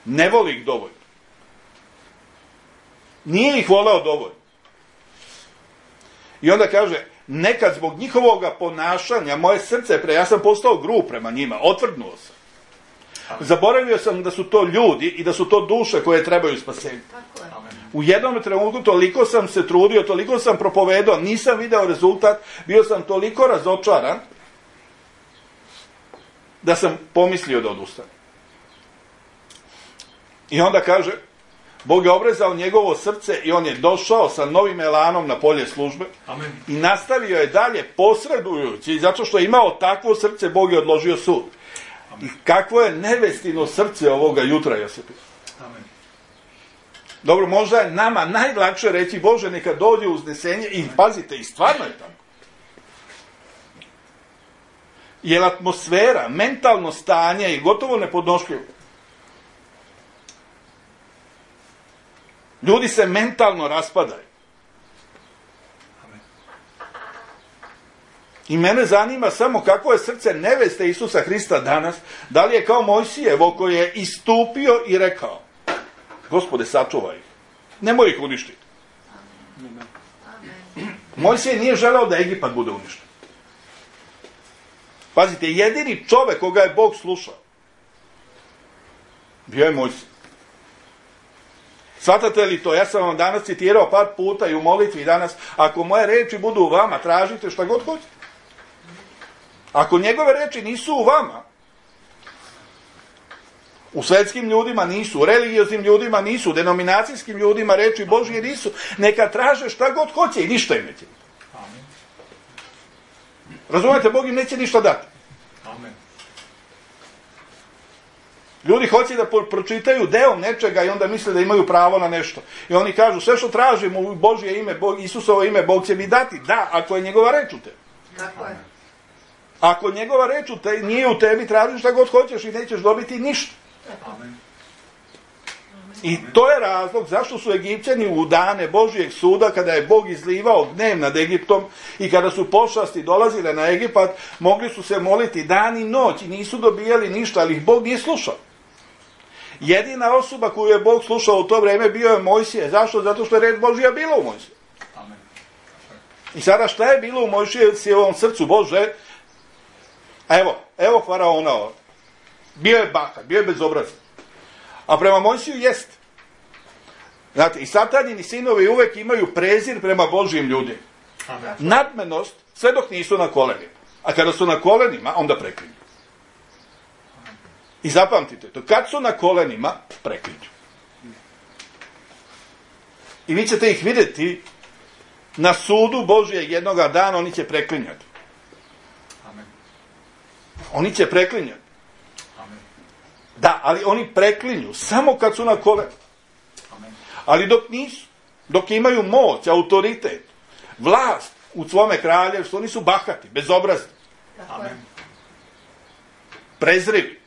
Ne voli ih dovoljno. Nije ih voleo dovoljno. I onda kaže, nekad zbog njihovog ponašanja moje srce ja sam postao grub prema njima, otvrdnuo sam. Zaboravio sam da su to ljudi i da su to duše koje trebaju spasenje. U jednom trenutku toliko sam se trudio, toliko sam propovedao, nisam video rezultat, bio sam toliko razočaran da sam pomislio da odustanem. I onda kaže, Bog je obrezao njegovo srce i on je došao sa novim elanom na polje službe. Amen. I nastavio je dalje posredujući, zato što je imao takvo srce, Bog je odložio sud. Amen. I kakvo je nevestino srce ovoga jutra, Josipina. Amen. Dobro, možda je nama najlakše reći, Bože, neka dođe uznesenje i pazite, i stvarno je tako. Jer atmosfera, mentalno stanje je gotovo nepodnošljivo. Ljudi se mentalno raspadaju. I mene zanima samo kakvo je srce neveste Isusa Hrista danas, da li je kao Mojsijevo koji je istupio i rekao: Gospode, sačuvaj ih, nemoj ih uništiti. Mojsije nije želeo da Egipat bude uništen. Pazite, jedini čovek koga je Bog slušao bio je Mojsije. Shvatate li to? Ja sam vam danas citirao par puta i u molitvi danas: ako moje reči budu u vama, tražite šta god hoćete. Ako njegove reči nisu u vama, u svetskim ljudima nisu, u religioznim ljudima nisu, u denominacijskim ljudima reči Božje nisu, neka traže šta god hoće i ništa im neće. Razumete, Bog im neće ništa dati. Amen. Ljudi hoće da pročitaju deo nečega i onda misle da imaju pravo na nešto. I oni kažu: sve što tražimo u Božje ime, Isusovo ime, Bog će mi dati. Da, ako je njegova reč u tebi. Tako je. Ako njegova reč nije u tebi, tražiš šta god hoćeš i nećeš dobiti ništa. Amen. I to je razlog zašto su Egipćani u dane Božjeg suda, kada je Bog izlivao gnjev nad Egiptom i kada su pošasti dolazile na Egipat, mogli su se moliti dan i noć i nisu dobijali ništa, ali ih Bog nije slušao. Jedina osoba koju je Bog slušao u to vreme bio je Mojsije. Zašto? Zato što je reč Božja bila u Mojsije. Amen. I sada šta je bilo u Mojsijevom srcu? Bože, evo faraona ovdje. Bio je bahat, bio je bezobrazan. A prema Mojsiju jest. Znate, i satanini sinovi uvek imaju prezir prema Božjim ljudima. Amen. Nadmenost, sve dok nisu na kolenima. A kada su na kolenima, onda preklinju. I zapamtite to, kad su na kolenima, preklinju. I vi ćete ih vidjeti na sudu Božjeg jednoga dana, oni će preklinjati. Amen. Oni će preklinjati. Amen. Da, ali oni preklinju samo kad su na kolenima. Amen. Ali dok nisu, dok imaju moć, autoritet, vlast u svome kraljevstvu, oni su bahati, bezobrazni, Amen. prezrivi.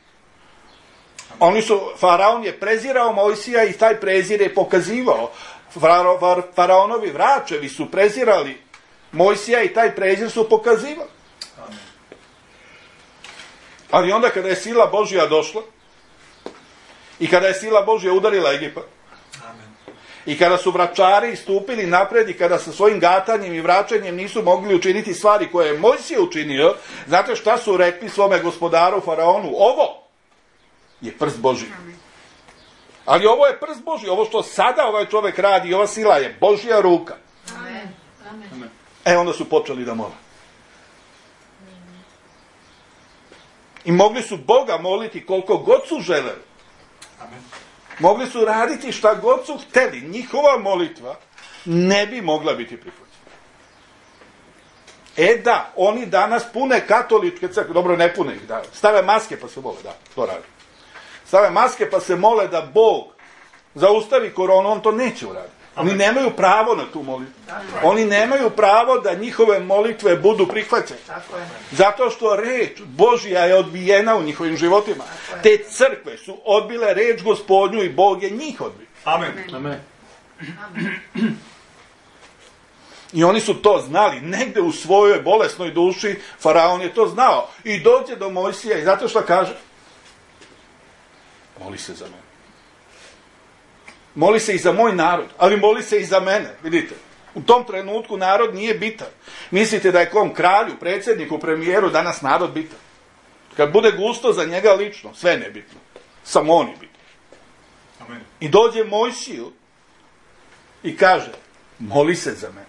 Faraon je prezirao Mojsija i taj prezir je pokazivao. Faraonovi vračevi su prezirali Mojsija i taj prezir su pokazivali. Amen. Ali onda kada je sila Božja došla i kada je sila Božja udarila Egipat, Amen. i kada su vračari istupili napred i kada sa svojim gatanjem i vraćanjem nisu mogli učiniti stvari koje je Mojsije učinio, znate šta su rekli svome gospodaru Faraonu? Ovo je prst Božji. Ali ovo je prst Božji. Ovo što sada ovaj čovjek radi, ova sila je Božja ruka. Amen. Amen. Onda su počeli da mole. I mogli su Boga moliti koliko god su želeli. Amen. Mogli su raditi šta god su hteli. Njihova molitva ne bi mogla biti prihvaćena. Da, oni danas pune katoličke crkve, dobro, ne pune ih, da, stave maske pa se mole, da, to radi. Stave maske pa se mole da Bog zaustavi koronu, on to neće uraditi. Oni nemaju pravo na tu molitvu. Oni nemaju pravo da njihove molitve budu prihvaćene. Tako je. Zato što reč Božja je odbijena u njihovim životima. Te crkve su odbile reč Gospodnju i Bog je njih odbio. Amen. Amen. I oni su to znali. Negde u svojoj bolesnoj duši Faraon je to znao. I dođe do Mojsija i zato što kaže: moli se za mene. Moli se i za moj narod, ali moli se i za mene. Vidite, u tom trenutku narod nije bitan. Mislite da je kom kralju, predsjedniku, premijeru danas narod bitan? Kad bude gusto za njega lično, sve nebitno. Samo on je bitan. Amen. I dođe Mojsiju i kaže: moli se za mene.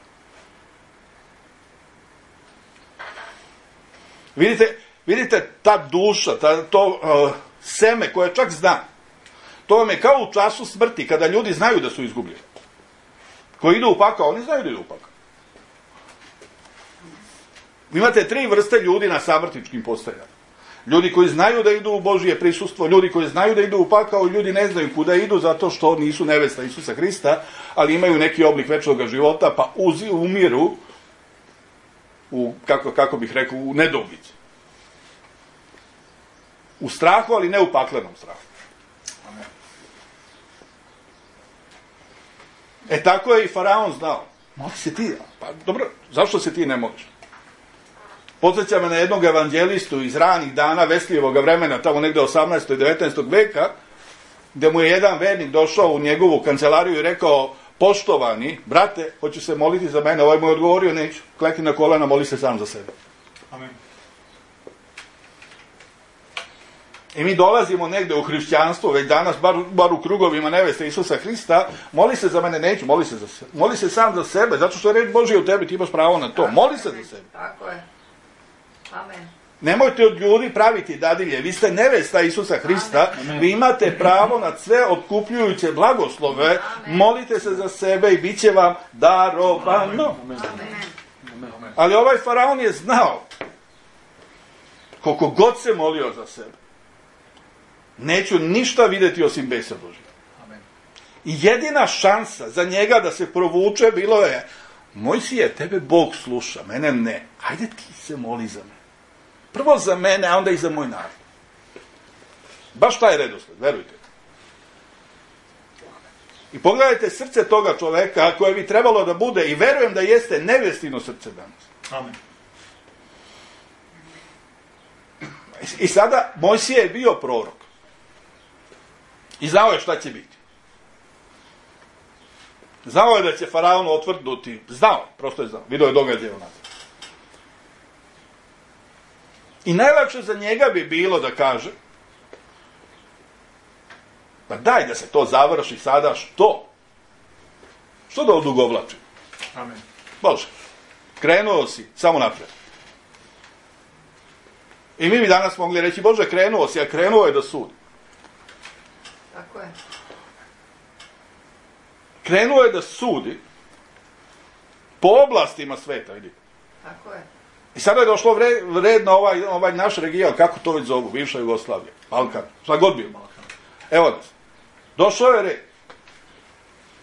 Vidite ta duša, to seme koje čak zna. To vam je kao u času smrti, kada ljudi znaju da su izgubljeni. Koji idu u pakao, oni znaju da idu u pakao. Imate 3 vrste ljudi na samrtičkim postajama. Ljudi koji znaju da idu u Božje prisustvo, ljudi koji znaju da idu u pakao i ljudi ne znaju kuda idu zato što nisu nevesta Isusa Hrista, ali imaju neki oblik večnog života pa umiru u, kako bih rekao, u nedoumici. U strahu, ali ne u paklenom strahu. Amen. Tako je i Faraon znao. Moli se ti. Pa dobro, zašto se ti ne moliš? Podsjeća me na jednog evanđelistu iz ranih dana Veslijevog vremena, tamo negde 18. i 19. veka, gde mu je jedan vernik došao u njegovu kancelariju i rekao: poštovani, brate, hoću se moliti za mene. Ovaj mu je odgovorio: neću, klekni na kolena, moli se sam za sebe. Amen. I mi dolazimo negde u hrišćanstvo, već danas, bar u krugovima neveste Isusa Hrista: moli se za mene, neću, moli se za sebe. Moli se sam za sebe, zato što je reč Božja u tebi, ti imaš pravo na to. Moli se za sebe. Tako je. Amen. Nemojte od ljudi praviti dadilje, vi ste nevesta Isusa Hrista, vi imate pravo na sve otkupljujuće blagoslove, molite se za sebe i bit će vam darovano. Amen. Ali ovaj Faraon je znao, koliko god se molio za sebe, neću ništa vidjeti osim besa Božja. Amen. I jedina šansa za njega da se provuče bilo je: Mojsije, tebe Bog sluša, mene ne, ajde ti se moli za mene. Prvo za mene, a onda i za moj narod. Baš taj redosled, verujte. I pogledajte srce toga čoveka koje bi trebalo da bude, i verujem da jeste, nevestino srce danas. Amen. I sada Mojsije je bio prorok. I znao je šta će biti. Znao je da će Faraon otvrdnuti. Znao, prosto je znao. Vidio je događaje onako. I najlakše za njega bi bilo da kaže: pa daj da se to završi sada, što? Što da odugovlači? Amen. Bože, krenuo si, samo napred. I mi bi danas mogli reći: Bože, krenuo si, a krenuo je da sudi. Tako je. Krenuo je da sudi po oblastima sveta, vidi. Tako je. I sada je došlo red na ovaj naš region, kako to već zovu, bivša Jugoslavija, Balkan, šta god bio. Evo nas. Došao je red.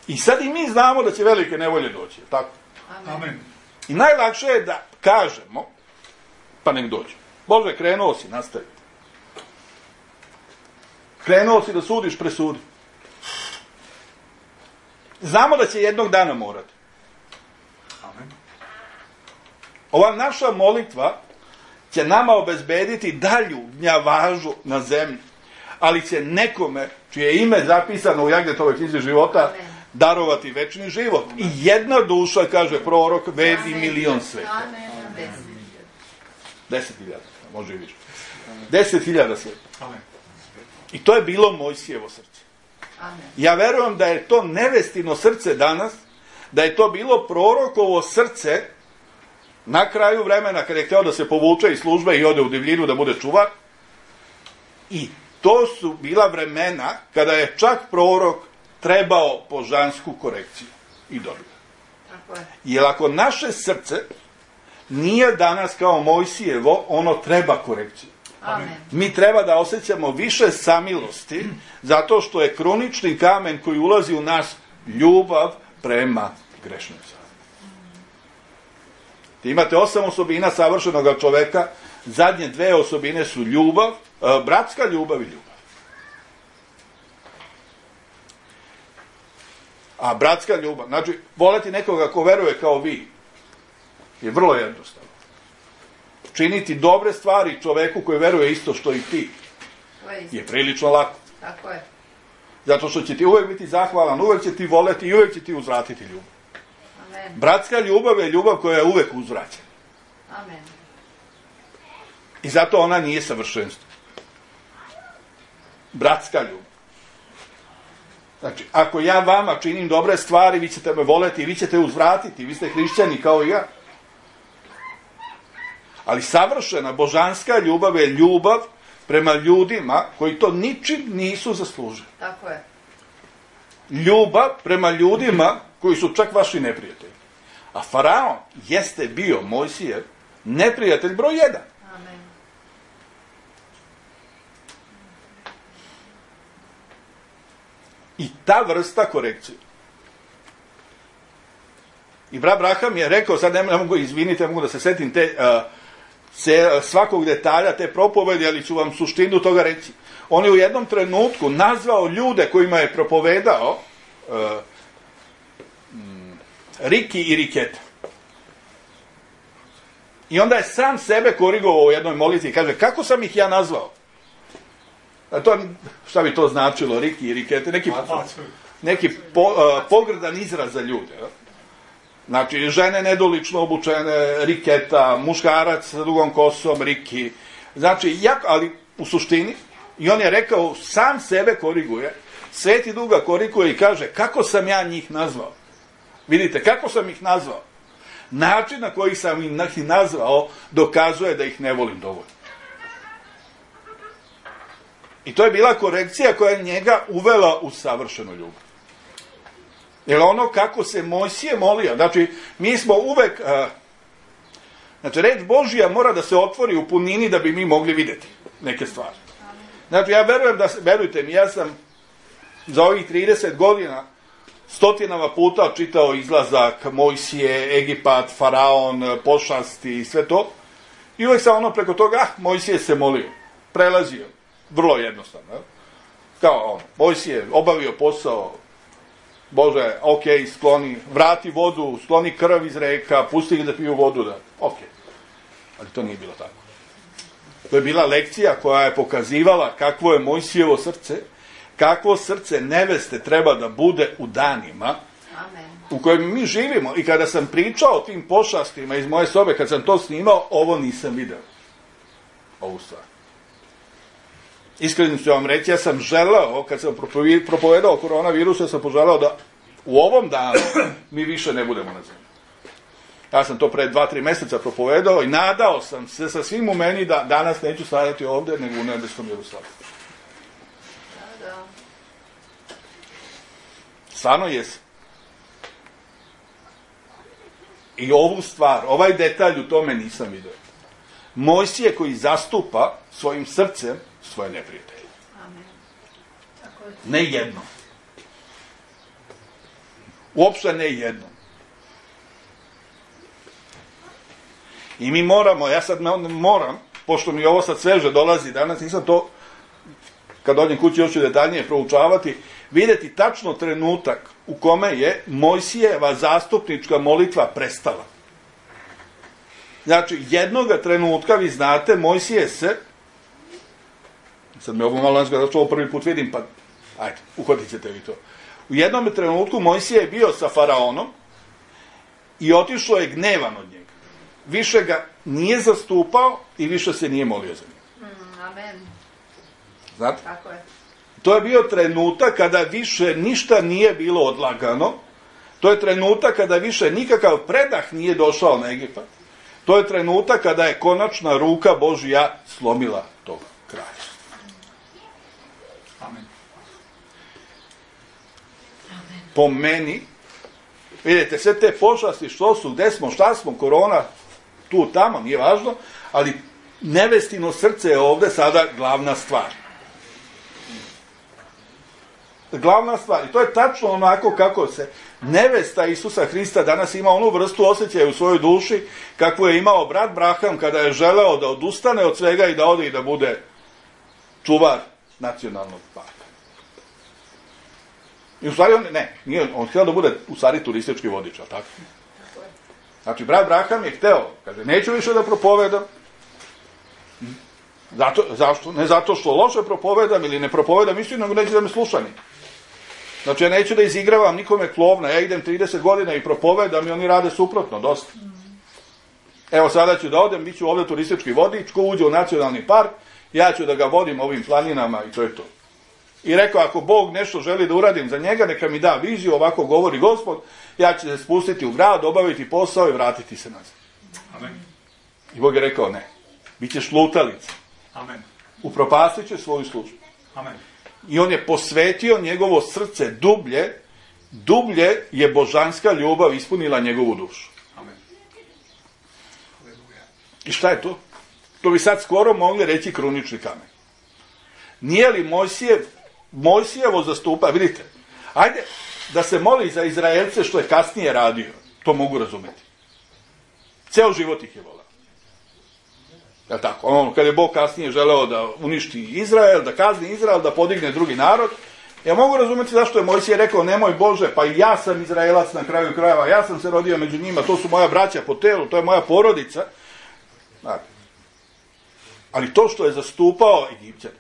I sad i mi znamo da će velike nevolje doći, tako? Amen. I najlakše je da kažemo: pa nek dođe. Bože, krenuo si, nastavi. Krenuo si da sudiš, presudi. Znamo da će jednog dana morati. Amen. Ova naša molitva će nama obezbediti dalju gnjavažu na zemlji, ali će nekome čije je ime zapisano u Jagnetovoj knjizi života darovati večni život. I jedna duša, kaže prorok, vredi 1.000.000 sveta. 10.000, može i više. 10.000 sveta. Amen. I to je bilo Mojsijevo srce. Amen. Ja verujem da je to nevestino srce danas, da je to bilo prorokovo srce na kraju vremena kada je hteo da se povuče iz službe i ode u divljinu da bude čuvar. I to su bila vremena kada je čak prorok trebao božansku korekciju i dobio. Tako je. Jer ako naše srce nije danas kao Mojsijevo, ono treba korekciju. Amen. Mi treba da osjećamo više samilosti, zato što je kronični kamen koji ulazi u nas ljubav prema grešnicama. Imate 8 osobina savršenog čoveka, zadnje 2 osobine su ljubav, bratska ljubav i ljubav. A bratska ljubav, znači voleti nekoga ko veruje kao vi, je vrlo jednostavno. Činiti dobre stvari čoveku koji veruje isto što i ti je prilično lako. Tako je. Zato što će ti uvek biti zahvalan, uvek će ti voleti i uvek će ti uzvratiti ljubav. Amen. Bratska ljubav je ljubav koja je uvek uzvraćena. Amen. I zato ona nije savršenstvo. Bratska ljubav. Znači, ako ja vama činim dobre stvari, vi ćete me voleti i vi ćete uzvratiti. Vi ste hrišćani kao i ja. Ali savršena božanska ljubav je ljubav prema ljudima koji to ničim nisu zaslužili. Tako je. Ljubav prema ljudima koji su čak vaši neprijatelji. A Faraon jeste bio Mojsijev neprijatelj broj 1. Amen. I ta vrsta korekcije. I brat Braham je rekao, sad ne mogu, izvinite, mogu da se setim te svakog detalja te propovedi, ali ću vam suštinu toga reći. On je u jednom trenutku nazvao ljude kojima je propovedao Riki i Riketa. I onda je sam sebe korigovao u jednoj molitvi i kaže, kako sam ih ja nazvao? A to, šta bi to značilo, Riki i Rikete? Neki pogrdan izraz za ljude. Znači, žene nedolično obučene, Riketa, muškarac sa dugom kosom, Riki. Znači, ali u suštini, i on je rekao, sam sebe koriguje, Sveti Duh ga koriguje i kaže, kako sam ja njih nazvao? Vidite, kako sam ih nazvao? Način na koji sam ih nazvao dokazuje da ih ne volim dovoljno. I to je bila korekcija koja je njega uvela u savršenu ljubav. Jer ono kako se Mojsije molio, znači mi smo uvek, znači reč Božija mora da se otvori u punini da bi mi mogli vidjeti neke stvari. Znači ja verujem verujte mi, ja sam za ovih 30 godina stotinama puta čitao izlazak Mojsije, Egipat, Faraon, pošasti i sve to. I uvek sam ono preko toga, Mojsije se molio, prelazio, vrlo jednostavno. Kao on, Mojsije obavio posao, Bože, ok, skloni, vrati vodu, skloni krv iz reka, pusti ih da piju vodu, da, ok. Ali to nije bilo tako. To je bila lekcija koja je pokazivala kakvo je Mojsijevo srce, kakvo srce neveste treba da bude u danima u kojim mi živimo. I kada sam pričao o tim pošastima iz moje sobe, kad sam to snimao, ovo nisam video. Ovu stvar. Iskreno ću vam reći, ja sam želeo, kad sam propovedao o koronavirusu, ja sam poželao da u ovom danu mi više ne budemo na zemlji. Ja sam to pre 2-3 meseca propovedao i nadao sam se sa svim u meni da danas neću stajati ovde, nego u nebeskom Jerusalimu. Stvarno jesam. I ovu stvar, ovaj detalj u tome nisam vidio. Mojsije koji zastupa svojim srcem svoje neprijatelje. Ne jedno. Uopšte ne jedno. I mi moramo, ja sad moram, pošto mi ovo sad sveže dolazi danas, nisam to, kad dođem kući još ću detaljnije proučavati, vidjeti tačno trenutak u kome je Mojsijeva zastupnička molitva prestala. Znači, jednoga trenutka, vi znate, Mojsije se, sad me ovo malo nazgleda, zato što ovo prvi put vidim, pa ajde, uhvatit ćete vi to. U jednom trenutku Mojsije je bio sa faraonom i otišlo je gnevan od njega. Više ga nije zastupao i više se nije molio za njega. Amen. Znate? Tako je. To je bio trenutak kada više ništa nije bilo odlagano. To je trenutak kada više nikakav predah nije došao na Egipat. To je trenutak kada je konačna ruka Božja slomila tog kraja. Amen. Po meni, vidite, sve te pošasti što su, gde smo, šta smo, korona, tu, tamo, nije važno, ali nevestino srce je ovde sada glavna stvar. Glavna stvar. I to je tačno onako kako se nevesta Isusa Hrista danas ima onu vrstu osjećaja u svojoj duši kakvu je imao brat Braham kada je želeo da odustane od svega i da ode i da bude čuvar nacionalnog parka. I u stvari on htio da bude u stvari turistički vodič, ali tako? Znači, brat Braham je hteo, kaže, neću više da propovedam. Zašto? Ne zato što loše propovedam ili ne propovedam istinu, nego neću da me sluša ni. Znači, ja neću da izigravam nikome klovna, ja idem 30 godina i propovedam i oni rade suprotno, dosta. Evo, sada ću da odem, bit ću ovdje turistički vodič, ko uđe u nacionalni park, ja ću da ga vodim ovim planinama i to je to. I rekao, ako Bog nešto želi da uradim za njega, neka mi da viziju, ovako govori Gospod, ja ću se spustiti u grad, obaviti posao i vratiti se nazad. Amen. I Bog je rekao, ne, bit ćeš lutalica. Amen. Upropastit će svoju službu. Amen. I on je posvetio njegovo srce dublje je božanska ljubav ispunila njegovu dušu. Amen. Aleluja. I šta je to? To bi sad skoro mogli reći krunični kamen. Nije li Mojsijevo zastupa, vidite, ajde da se moli za Izraelce što je kasnije radio, to mogu razumeti. Ceo život ih je volao. Jel' tako? Kad je Bog kasnije želeo da uništi Izrael, da kazni Izrael, da podigne drugi narod, ja mogu razumjeti zašto je Mojsije rekao, nemoj Bože, pa i ja sam Izraelac na kraju krajeva, ja sam se rodio među njima, to su moja braća po telu, to je moja porodica. Dakle, ali to što je zastupao Egipćane,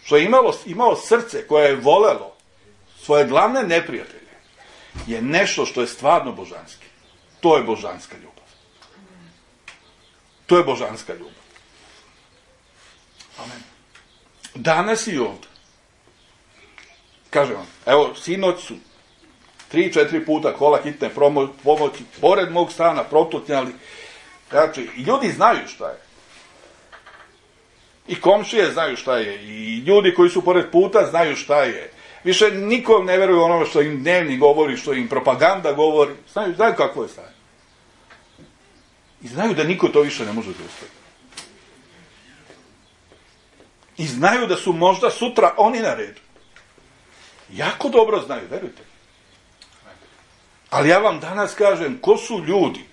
što je imao srce koje je volelo svoje glavne neprijatelje, je nešto što je stvarno božanski. To je božanska ljubav. To je božanska ljubav. Amen. Danas i ovdje. Kažem vam, evo, sinoć su 3-4 puta kola hitne pomoći pored mog stana protutnjali. Znači, ljudi znaju šta je. I komšije znaju šta je. I ljudi koji su pored puta znaju šta je. Više nikom ne veruju ono što im dnevni govori, što im propaganda govori. Znaju kakvo je stanje. I znaju da niko to više ne može zaustaviti. I znaju da su možda sutra oni na redu. Jako dobro znaju, verujte. Ali ja vam danas kažem, ko su ljudi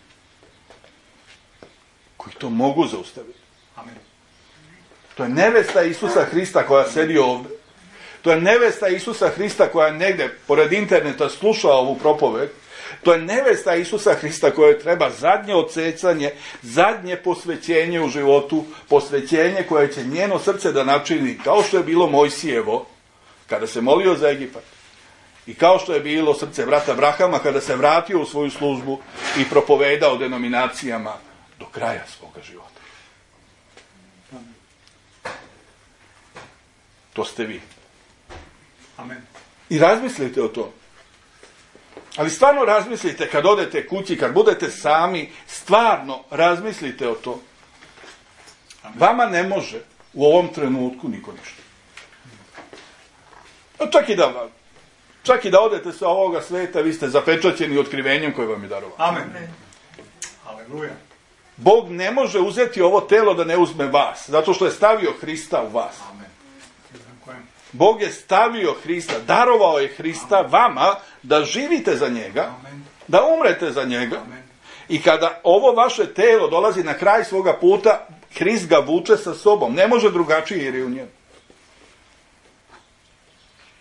koji to mogu zaustaviti? Amen. To je nevesta Isusa Hrista koja sedi ovdje. To je nevesta Isusa Hrista koja negdje pored interneta sluša ovu propoved. To je nevesta Isusa Hrista koje treba zadnje odsecanje, zadnje posvećenje u životu, posvećenje koje će njeno srce da načini, kao što je bilo Mojsijevo kada se molio za Egipat. I kao što je bilo srce brata Abrahama kada se vratio u svoju službu i propovedao denominacijama do kraja svoga života. To ste vi. Amen. I razmislite o tom. Ali stvarno razmislite kad odete kući, kad budete sami, stvarno razmislite o tom. Vama ne može u ovom trenutku niko ništa. Čak i da odete sa ovoga sveta, vi ste zapečaćeni otkrivenjem koje vam je darovano. Amen. Aleluja. Bog ne može uzeti ovo telo da ne uzme vas, zato što je stavio Hrista u vas. Amen. Bog je stavio Hrista, darovao je Hrista vama da živite za njega, da umrete za njega. I kada ovo vaše telo dolazi na kraj svoga puta, Hrist ga vuče sa sobom. Ne može drugačije jer je u njemu.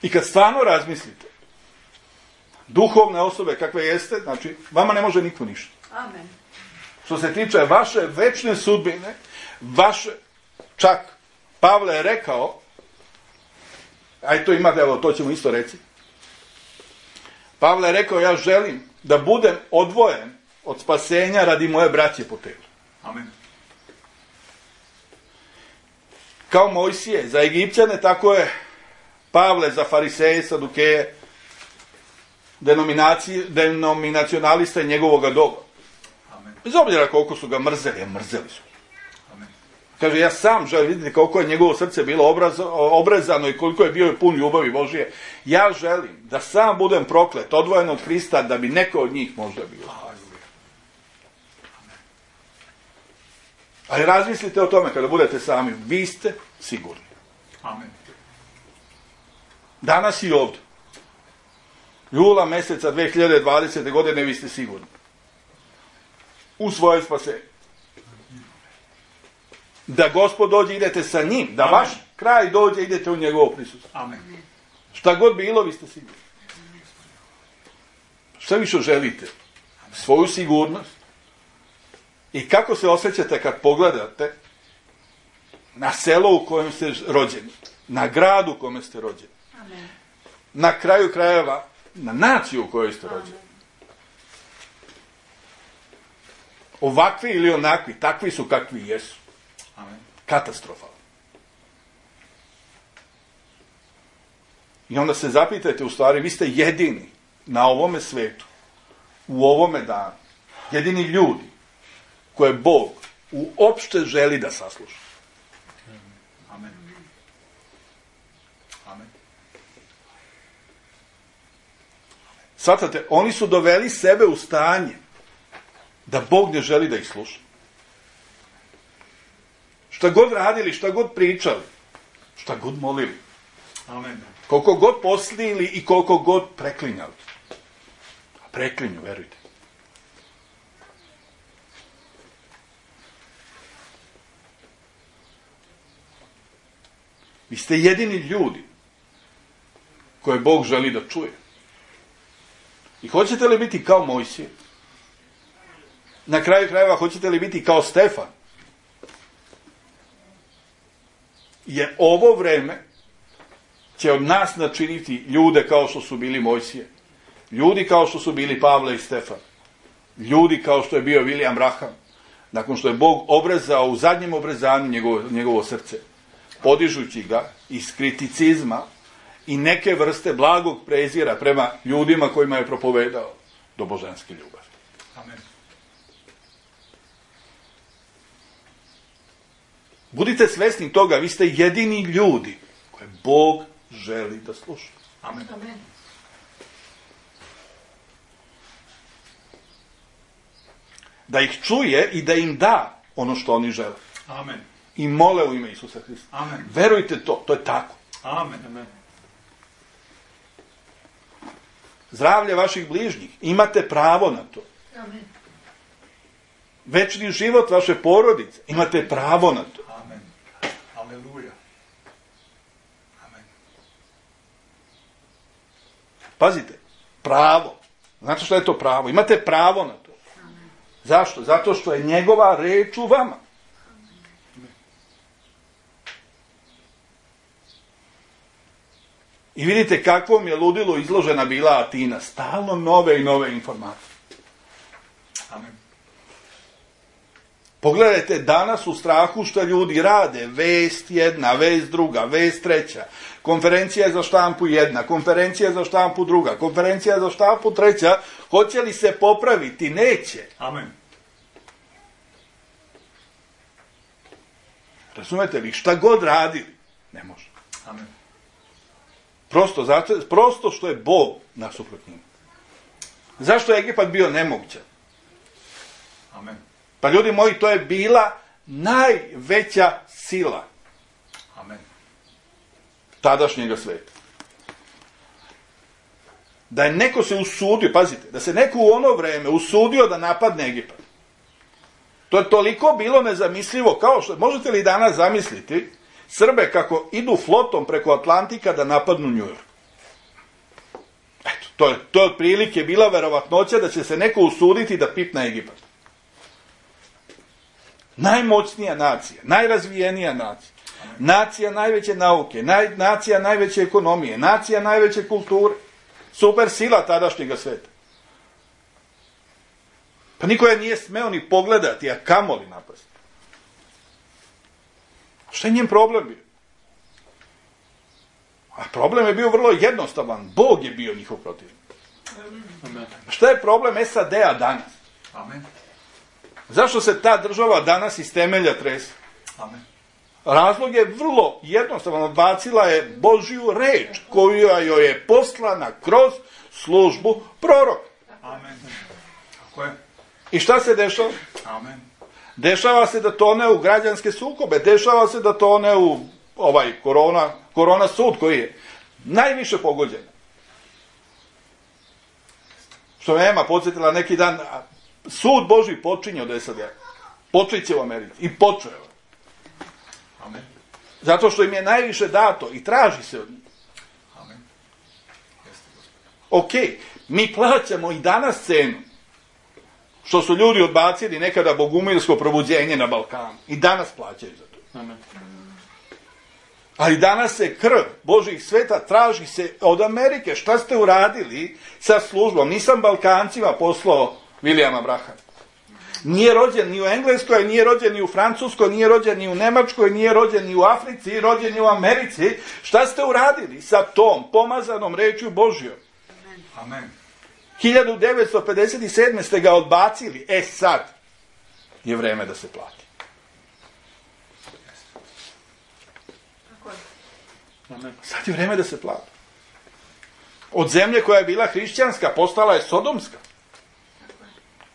I kad stvarno razmislite, duhovne osobe kakve jeste, znači, vama ne može niko ništa. Amen. Što se tiče vaše večne sudbine, čak Pavle je rekao, aj to imate, evo, to ćemo isto reći. Pavle je rekao, ja želim da budem odvojen od spasenja radi moje braće po telu. Amen. Kao Mojsije za Egipćane, tako je Pavle za fariseje, sadukeje, denominacionaliste njegovoga doba. Amen. Bez obzira koliko su ga mrzeli, mrzeli su. Amen. Kaže, ja sam želim, vidite koliko je njegovo srce bilo obrezano i koliko je bio pun ljubavi Božije. Ja želim da sam budem proklet, odvojen od Hrista, da bi neko od njih možda bio. Ali razmislite o tome kada budete sami. Vi ste sigurni. Amen. Danas i ovdje. Jula mjeseca 2020. godine vi ste sigurni. U svoje spasenje. Da Gospod dođe, idete sa njim. Da Amen. Vaš kraj dođe, idete u njegovo prisustvo. Amen. Šta god bilo, vi ste sigurni. Šta više želite? Svoju sigurnost. I kako se osjećate kad pogledate na selo u kojem ste rođeni, na gradu u kojem ste rođeni, Amen. na kraju krajeva, na naciju u kojoj ste rođeni. Ovakvi ili onakvi, takvi su kakvi jesu. Amen. Katastrofalno. I onda se zapitajte, u stvari, vi ste jedini na ovome svetu, u ovome danu, jedini ljudi koje Bog uopšte želi da sasluša. Amen. Amen. Svatate, oni su doveli sebe u stanje da Bog ne želi da ih sluša. Šta god radili, šta god pričali, šta god molili, Amen. koliko god poslili i koliko god preklinjali. A preklinju, verujte. Vi ste jedini ljudi koje Bog želi da čuje. I hoćete li biti kao Mojsije? Na kraju krajeva, hoćete li biti kao Stefan? Jer ovo vreme će od nas načiniti ljude kao što su bili Mojsije. Ljudi kao što su bili Pavle i Stefan. Ljudi kao što je bio William Branham. Nakon što je Bog obrezao u zadnjem obrezanju njegovo srce, podižući ga iz kriticizma i neke vrste blagog prezira prema ljudima kojima je propovedao do božanske ljubavi. Amen. Budite svesni toga, vi ste jedini ljudi koje Bog želi da sluša. Amen. Amen. Da ih čuje i da im da ono što oni žele. Amen. I mole u ime Isusa Hrista. Amen. Verujte to je tako. Amen. Amen. Zdravlje vaših bližnjih, imate pravo na to. Amen. Večni život vaše porodice, imate pravo na to. Amen. Aleluja. Amen. Pazite, pravo. Znate što je to pravo? Imate pravo na to. Zašto? Zato što je njegova reč u vama. I vidite kakvom je ludilu izložena bila Atina. Stalno nove i nove informacije. Amen. Pogledajte danas u strahu što ljudi rade. Vest jedna, vest druga, vest treća. Konferencija za štampu jedna, konferencija za štampu druga, konferencija za štampu treća. Hoće li se popraviti? Neće. Amen. Razumete li? Šta god radili, ne može. Amen. Prosto što je Bog nasuprot njima. Zašto je Egipat bio nemogućan? Amen. Pa ljudi moji, to je bila najveća sila Amen. tadašnjega sveta. Da je neko se usudio, pazite, da se neko u ono vreme usudio da napadne Egipat. To je toliko bilo nezamislivo, kao što, možete li danas zamisliti Srbe kako idu flotom preko Atlantika da napadnu New York? Eto, to je otprilike bila verovatnoća da će se neko usuditi da pipne Egipat. Najmoćnija nacija, najrazvijenija nacija, nacija najveće nauke, nacija najveće ekonomije, nacija najveće kulture, super sila tadašnjega sveta. Pa niko je nije smeo ni pogledati, a kamoli napasti. Šta je njen problem bio? A problem je bio vrlo jednostavan. Bog je bio njihov protivnik. Amen. Šta je problem SAD-a danas? Amen. Zašto se ta država danas iz temelja trese? Amen. Razlog je vrlo jednostavan. Odbacila je Božju reč koja joj je poslana kroz službu proroka. Amen. Tako je. I šta se dešava? Amen. Dešava se da tone u građanske sukobe, dešava se da tone u korona sud koji je najviše pogođen. Što me Ema podsjetila neki dan, sud Božji počinje od SAD. Počeće u Americi. I počeo. Amen. Zato što im je najviše dato i traži se od njih. Amen. Jeste, Gospod. Ok, mi plaćamo i danas cenu što su ljudi odbacili nekada bogumilsko probuđenje na Balkanu. I danas plaćaju za to. Amen. Ali danas se krv Božjih sveta traži se od Amerike. Šta ste uradili sa službom? Nisam Balkancima poslao Williama Branhama. Nije rođen ni u Engleskoj, nije rođen ni u Francuskoj, nije rođen ni u Nemačkoj, nije rođen ni u Africi, rođen ni u Americi. Šta ste uradili sa tom pomazanom rečju Božjom? Amen. 1957. ste ga odbacili. Sad je vreme da se plati. Tako je. Amen. Sad je vreme da se plati. Od zemlje koja je bila hrišćanska postala je sodomska.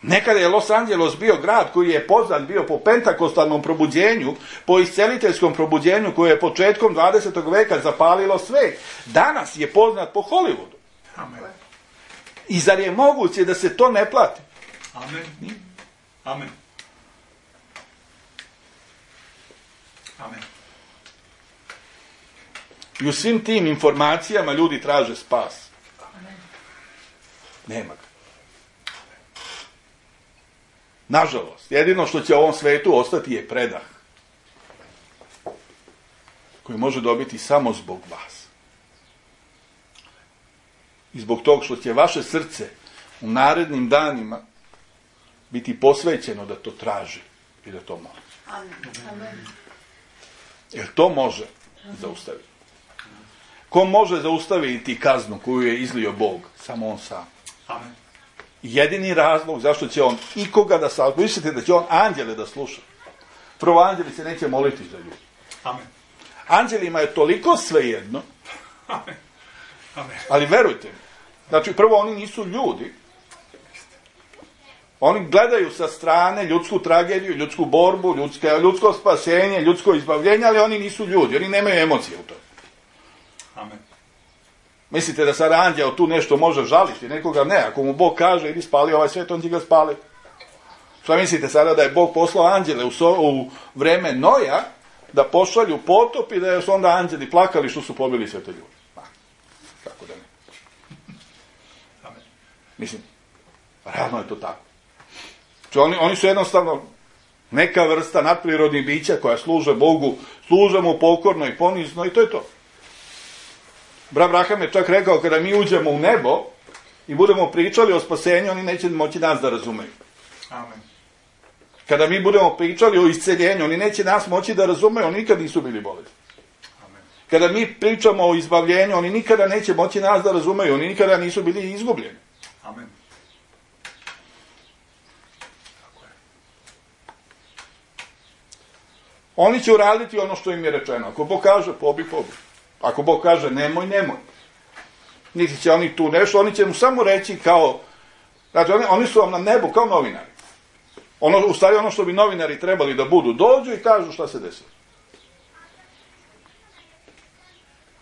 Nekada je Los Angeles bio grad koji je poznat bio po pentakostalnom probuđenju, po isceliteljskom probuđenju koje je početkom 20. veka zapalilo svet. Danas je poznat po Hollywoodu. Amen. I zar je moguće da se to ne plati? Amen. Amen. Amen. I u svim tim informacijama ljudi traže spas. Nema ga. Nažalost, jedino što će u ovom svetu ostati je predah. Koji može dobiti samo zbog vas. I zbog tog što će vaše srce u narednim danima biti posvećeno da to traži i da to moli. Amen. Jer to može zaustaviti. Ko može zaustaviti kaznu koju je izlio Bog? Samo on sam. Amen. Jedini razlog zašto će on ikoga da salva. Mislite da će on anđele da sluša? Prvo, anđeli se neće moliti za ljudi. Amen. Anđelima je toliko svejedno, Amen. Amen. ali verujte mi, znači prvo oni nisu ljudi, oni gledaju sa strane ljudsku tragediju, ljudsku borbu, ljudsko spasenje, ljudsko izbavljenje, ali oni nisu ljudi, oni nemaju emocije u tome. Amen. Mislite da sad anđeo tu nešto može žaliti, nekoga ne, ako mu Bog kaže idi spali ovaj svijet, on će ga spali. Šta mislite sada da je Bog poslao anđele u vreme Noja, da pošalju potop i da su onda anđeli plakali što su pobili sve te ljude? Kako da ne? Amen. Mislim, realno je to tako. Znači, oni su jednostavno neka vrsta nadprirodnih bića koja služe Bogu, služe mu pokorno i ponizno i to je to. Brat Abraham je čak rekao, kada mi uđemo u nebo i budemo pričali o spasenju, oni neće moći nas da razumeju. Amen. Kada mi budemo pričali o isceljenju, oni neće nas moći da razumeju, oni nikad nisu bili bolesni. Amen. Kada mi pričamo o izbavljenju, oni nikada neće moći nas da razumeju, oni nikada nisu bili izgubljeni. Amen. Oni će uraditi ono što im je rečeno. Ako Bog kaže, pobi. Ako Bog kaže, nemoj. Niti će oni tu nešto, oni će mu samo reći kao, znači oni su vam na nebu kao novinari. U stvari ono što bi novinari trebali da budu, dođu i kažu šta se desilo.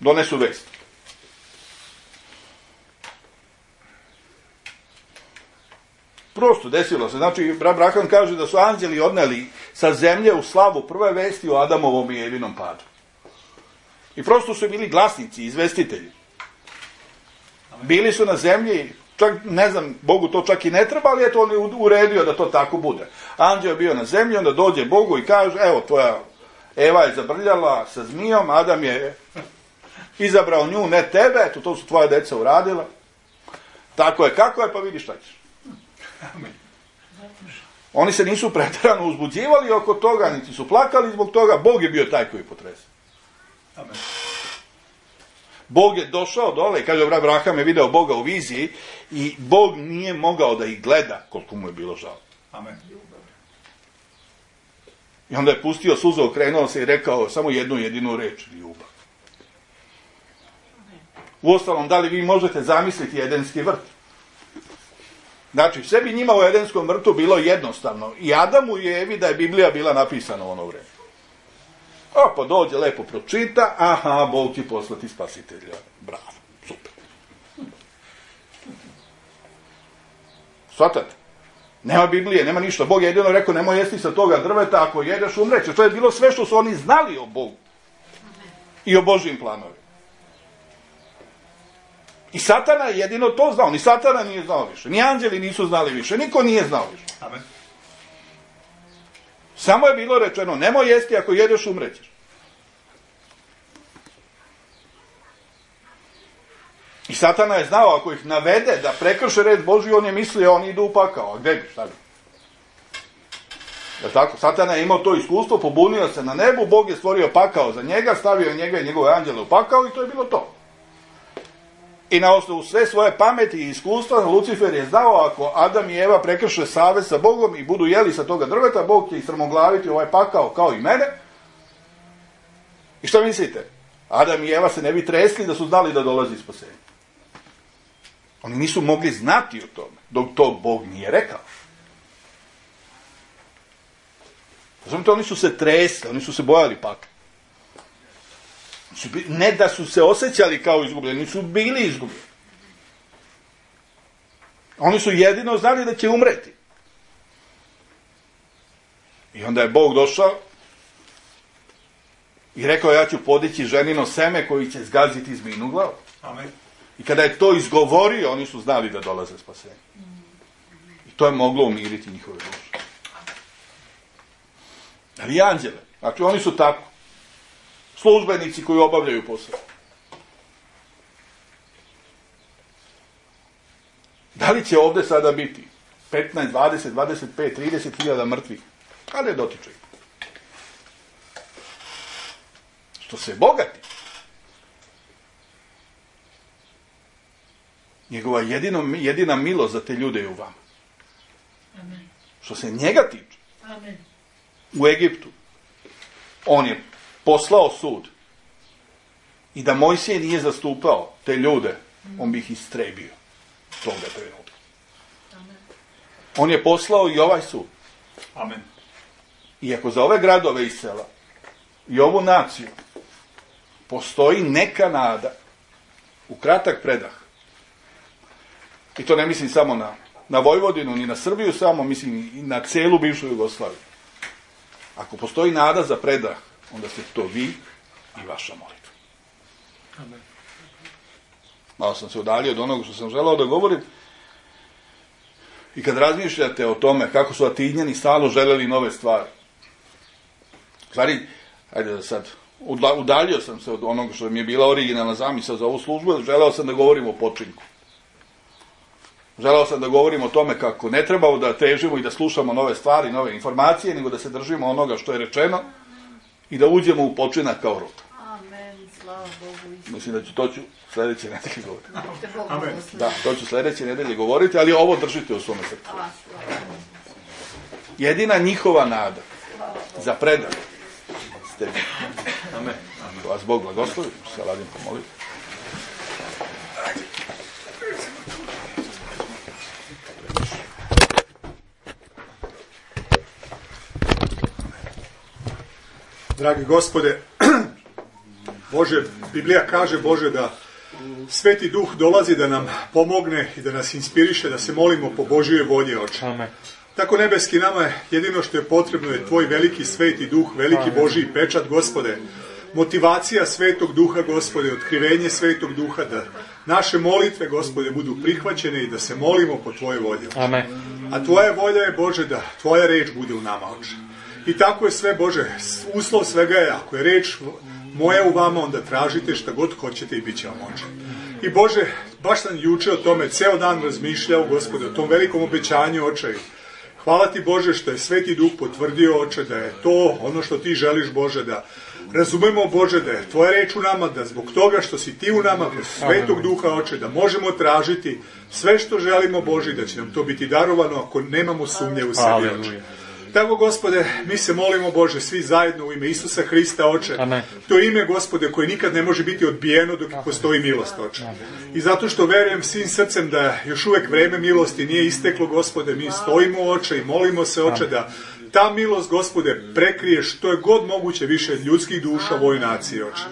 Donesu vest. Prosto desilo se. Znači, brat Abraham kaže da su anđeli odneli sa zemlje u slavu prve vesti o Adamovom i Evinom padu. I prosto su bili glasnici, izvestitelji. Bili su na zemlji, čak, ne znam, Bogu to čak i ne treba, ali eto on je uredio da to tako bude. Anđeo je bio na zemlji, onda dođe Bogu i kaže, evo, tvoja Eva je zabrljala sa zmijom, Adam je izabrao nju, ne tebe, eto, to su tvoja deca uradila. Tako je, kako je, pa vidi šta ćeš. Oni se nisu pretjerano uzbuđivali oko toga, niti su plakali zbog toga, Bog je bio taj koji potresa. Amen. Bog je došao dole i kaže, brat Abraham je video Boga u viziji i Bog nije mogao da ih gleda koliko mu je bilo žao. Amen. I onda je pustio suzu, okrenuo se i rekao samo jednu jedinu reč, ljubav. Uostalom, da li vi možete zamisliti Edenski vrt? Znači, sve bi njima u Edenskom vrtu bilo jednostavno. I Adamu i Evi da je Biblija bila napisana u ono vreme. Pa dođe, lepo pročita, aha, Bog će poslati spasitelja. Bravo, super. Svatate? Nema Biblije, nema ništa. Bog je jedino rekao, nemoj jesti sa toga drveta, ako jedeš umrećeš. To je bilo sve što su oni znali o Bogu. I o Božjim planovima. I Satana je jedino to znao. Ni Satana nije znao više. Ni anđeli nisu znali više. Niko nije znao više. Amen. Samo je bilo rečeno, nemoj jesti, ako jedeš umrećeš. I Satana je znao, ako ih navede da prekrše red Božji, on je mislio, oni idu u pakao. A gde bi, šta bi? Je tako? Satana je imao to iskustvo, pobunio se na nebu, Bog je stvorio pakao za njega, stavio njega i njegove anđele u pakao i to je bilo to. I na osnovu sve svoje pameti i iskustva, Lucifer je znao, ako Adam i Eva prekrše savez sa Bogom i budu jeli sa toga drveta, Bog će ih strmoglaviti ovaj pakao kao i mene. I šta mislite? Adam i Eva se ne bi tresli da su znali da dolazi spasenje. Oni nisu mogli znati o tome, dok to Bog nije rekao. Razumite, oni su se tresli, oni su se bojali pakla. Ne da su se osjećali kao izgubljeni, su bili izgubljeni. Oni su jedino znali da će umreti. I onda je Bog došao I rekao, ja ću podići ženino seme koji će zgaziti zmijinu glavu. Amen. I kada je to izgovorio, oni su znali da dolaze spasenje. I to je moglo umiriti njihove duše. Ali i anđele, znači oni su tako. Službenici koji obavljaju posao. Da li će ovdje sada biti 15, 20, 25, 30 hiljada mrtvih? Ali je dotiče. Što se bogati. Njegova jedina milost za te ljude je u vama. Amen. Što se njega tiče. Amen. U Egiptu on je poslao sud i da Mojsije nije zastupao te ljude, on bi ih istrebio toga trenutka. Amen. On je poslao i ovaj sud. Amen. Iako za ove gradove i sela i ovu naciju postoji neka nada u kratak predah. I to ne mislim samo na Vojvodinu, ni na Srbiju samo, mislim i na celu bivšu Jugoslaviju. Ako postoji nada za predah, onda ste to vi i vaša molitva. Amen. Malo sam se udaljio od onoga što sam želao da govorim. I kad razmišljate o tome kako su Atinjani stalno želeli nove stvari. Stvari, ajde da sad, udaljio sam se od onoga što mi je bila originalna zamisao za ovu službu, želeo sam da govorim o počinku. Želeo sam da govorim o tome kako ne trebamo da težimo i da slušamo nove stvari, nove informacije, nego da se držimo onoga što je rečeno i da uđemo u počinak kao rod. Amen. Slava Bogu. Mislim da ću to sljedeće nedelje govoriti. Amen. Da, to ću sljedeće nedelje govoriti, ali ovo držite u svome srcu. Jedina njihova nada za predah ste vi. Amen. Vas Bog blagoslovi, se radim pomoliti. Dragi Gospode, Bože, Biblija kaže, Bože, da Sveti Duh dolazi da nam pomogne i da nas inspiriše, da se molimo po Božjoj volji, Oče. Amen. Tako nebeski, nama je jedino što je potrebno je Tvoj veliki Sveti Duh, veliki Božji pečat, Gospode. Motivacija Svetog Duha, Gospode, otkrivenje Svetog Duha, da naše molitve, Gospode, budu prihvaćene i da se molimo po Tvojoj volji, Oče. Amen. A Tvoja volja je, Bože, da Tvoja reč bude u nama, Oče. I tako je sve, Bože, uslov svega je, ako je reč moja u vama, onda tražite šta god hoćete i bit će vam, Oče. I Bože, baš sam juče o tome ceo dan razmišljao, Gospode, o tom velikom obećanju, Oče. Hvala Ti, Bože, što je Sveti Duh potvrdio, Oče, da je to ono što Ti želiš, Bože, da razumemo, Bože, da je Tvoja reč u nama, da zbog toga što si Ti u nama, kroz Svetog Duha, Oče, da možemo tražiti sve što želimo, Bože, da će nam to biti darovano ako nemamo sumnje u sebi, Oče. Tako, Gospode, mi se molimo, Bože, svi zajedno u ime Isusa Hrista, Oče. Amen. To je ime, Gospode, koje nikad ne može biti odbijeno dok postoji milost, Oče. I zato što verujem svim srcem da još uvek vreme milosti nije isteklo, Gospode, mi stojimo, Oče, i molimo se, Oče, da ta milost, Gospode, prekrije što je god moguće više ljudskih duša u ovoj naciji, Oče.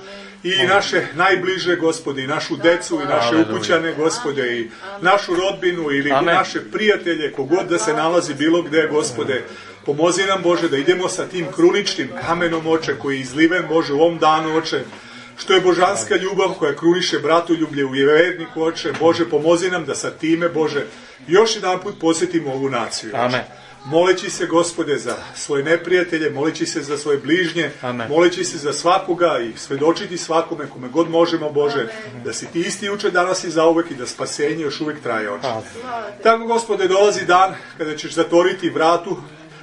I naše najbliže, Gospode, i našu decu, i naše ukućane, Gospode, i našu rodbinu, ili naše prijatelje, kogod da se nalazi bilo gde, Gospode. Pomozi nam, Bože, da idemo sa tim kruničnim kamenom, Oče, koji je izliven, Bože, u ovom danu, Oče, što je božanska ljubav koja kruniše bratoljublje u verniku, Oče. Bože, pomozi nam da sa time, Bože, još jedan put posjetimo ovu naciju, Oče. Amen. Moleći se, Gospode, za svoje neprijatelje, moleći se za svoje bližnje, Amen. moleći se za svakoga i svedočiti svakome kome god možemo, Bože, da si Ti isti juče, danas i zauvek i da spasenje još uvijek traje, Oče. Tako, Gospode, dolazi dan kada ćeš zatvoriti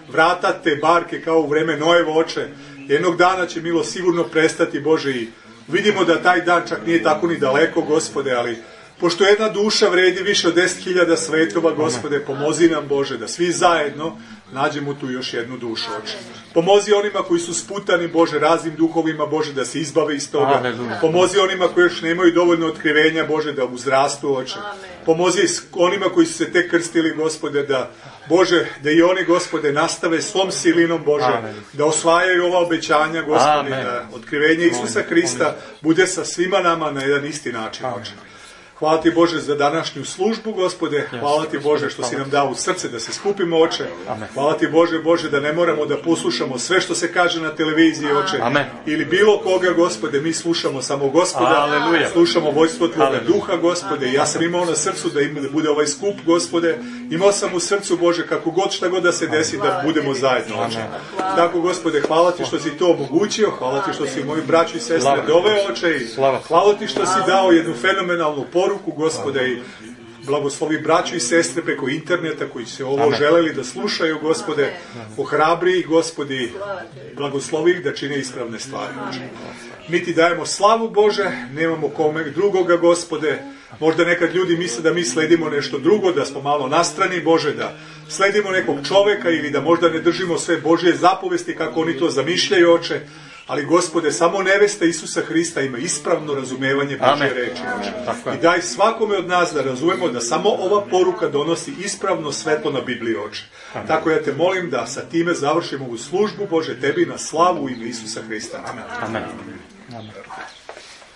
vrata te barke kao u vreme Noevo, Oče. Jednog dana će milost sigurno prestati, Bože, i vidimo da taj dan čak nije tako ni daleko, Gospode, ali pošto jedna duša vredi više od 10.000 svetova, Gospode, pomozi nam, Bože, da svi zajedno nađemo tu još jednu dušu, Oče. Pomozi onima koji su sputani, Bože, raznim duhovima, Bože, da se izbave iz toga. Pomozi onima koji još nemaju dovoljno otkrivenja, Bože, da uzrastu, Oče. Pomozi onima koji su se tek krstili, Gospode, da, Bože, da i oni, Gospode, nastave svom silinom, Bože, da osvajaju ova obećanja, Gospode, da otkrivenje Isusa Hrista bude sa svima nama na jedan isti način, Oče. Hvala ti Bože za današnju službu, Gospode. Hvala ti Bože što si nam dao u srce da se skupimo, Oče. Hvala ti Bože da ne moramo da poslušamo sve što se kaže na televiziji, Oče. Ili bilo koga, Gospode, mi slušamo samo Gospoda. Slušamo vojstvo Tvoga duha, Gospode. Ja sam imao na srcu da bude ovaj skup, Gospode. Imao sam u srcu, Bože, kako god šta god da se desi, da budemo zajedno, Oče. Tako, Gospode, hvala ti što si to omogućio. Hvala ti što si moji braći i sestre doveo, Oče. Hvala ti što si dao jednu fenomenalnu poruku, Gospode, i blagoslovi braću i sestre preko interneta koji se ovo želeli da slušaju, Gospode, ohrabri, Gospodi, blagoslovi ih da čine ispravne stvari. Mi ti dajemo slavu, Bože, nemamo kome drugoga, Gospode. Možda nekad ljudi misle da mi sledimo nešto drugo, da smo malo nastrani, Bože, da sledimo nekog čoveka ili da možda ne držimo sve Božje zapovesti kako oni to zamišljaju, Oče. Ali, Gospode, samo nevesta Isusa Hrista ima ispravno razumevanje Božje reči. I daj svakome od nas da razumemo da samo ova poruka donosi ispravno svetlo na Bibliji, Oče. Tako ja te molim da sa time završimo ovu službu, Bože, tebi na slavu u ime Isusa Hrista. Amen.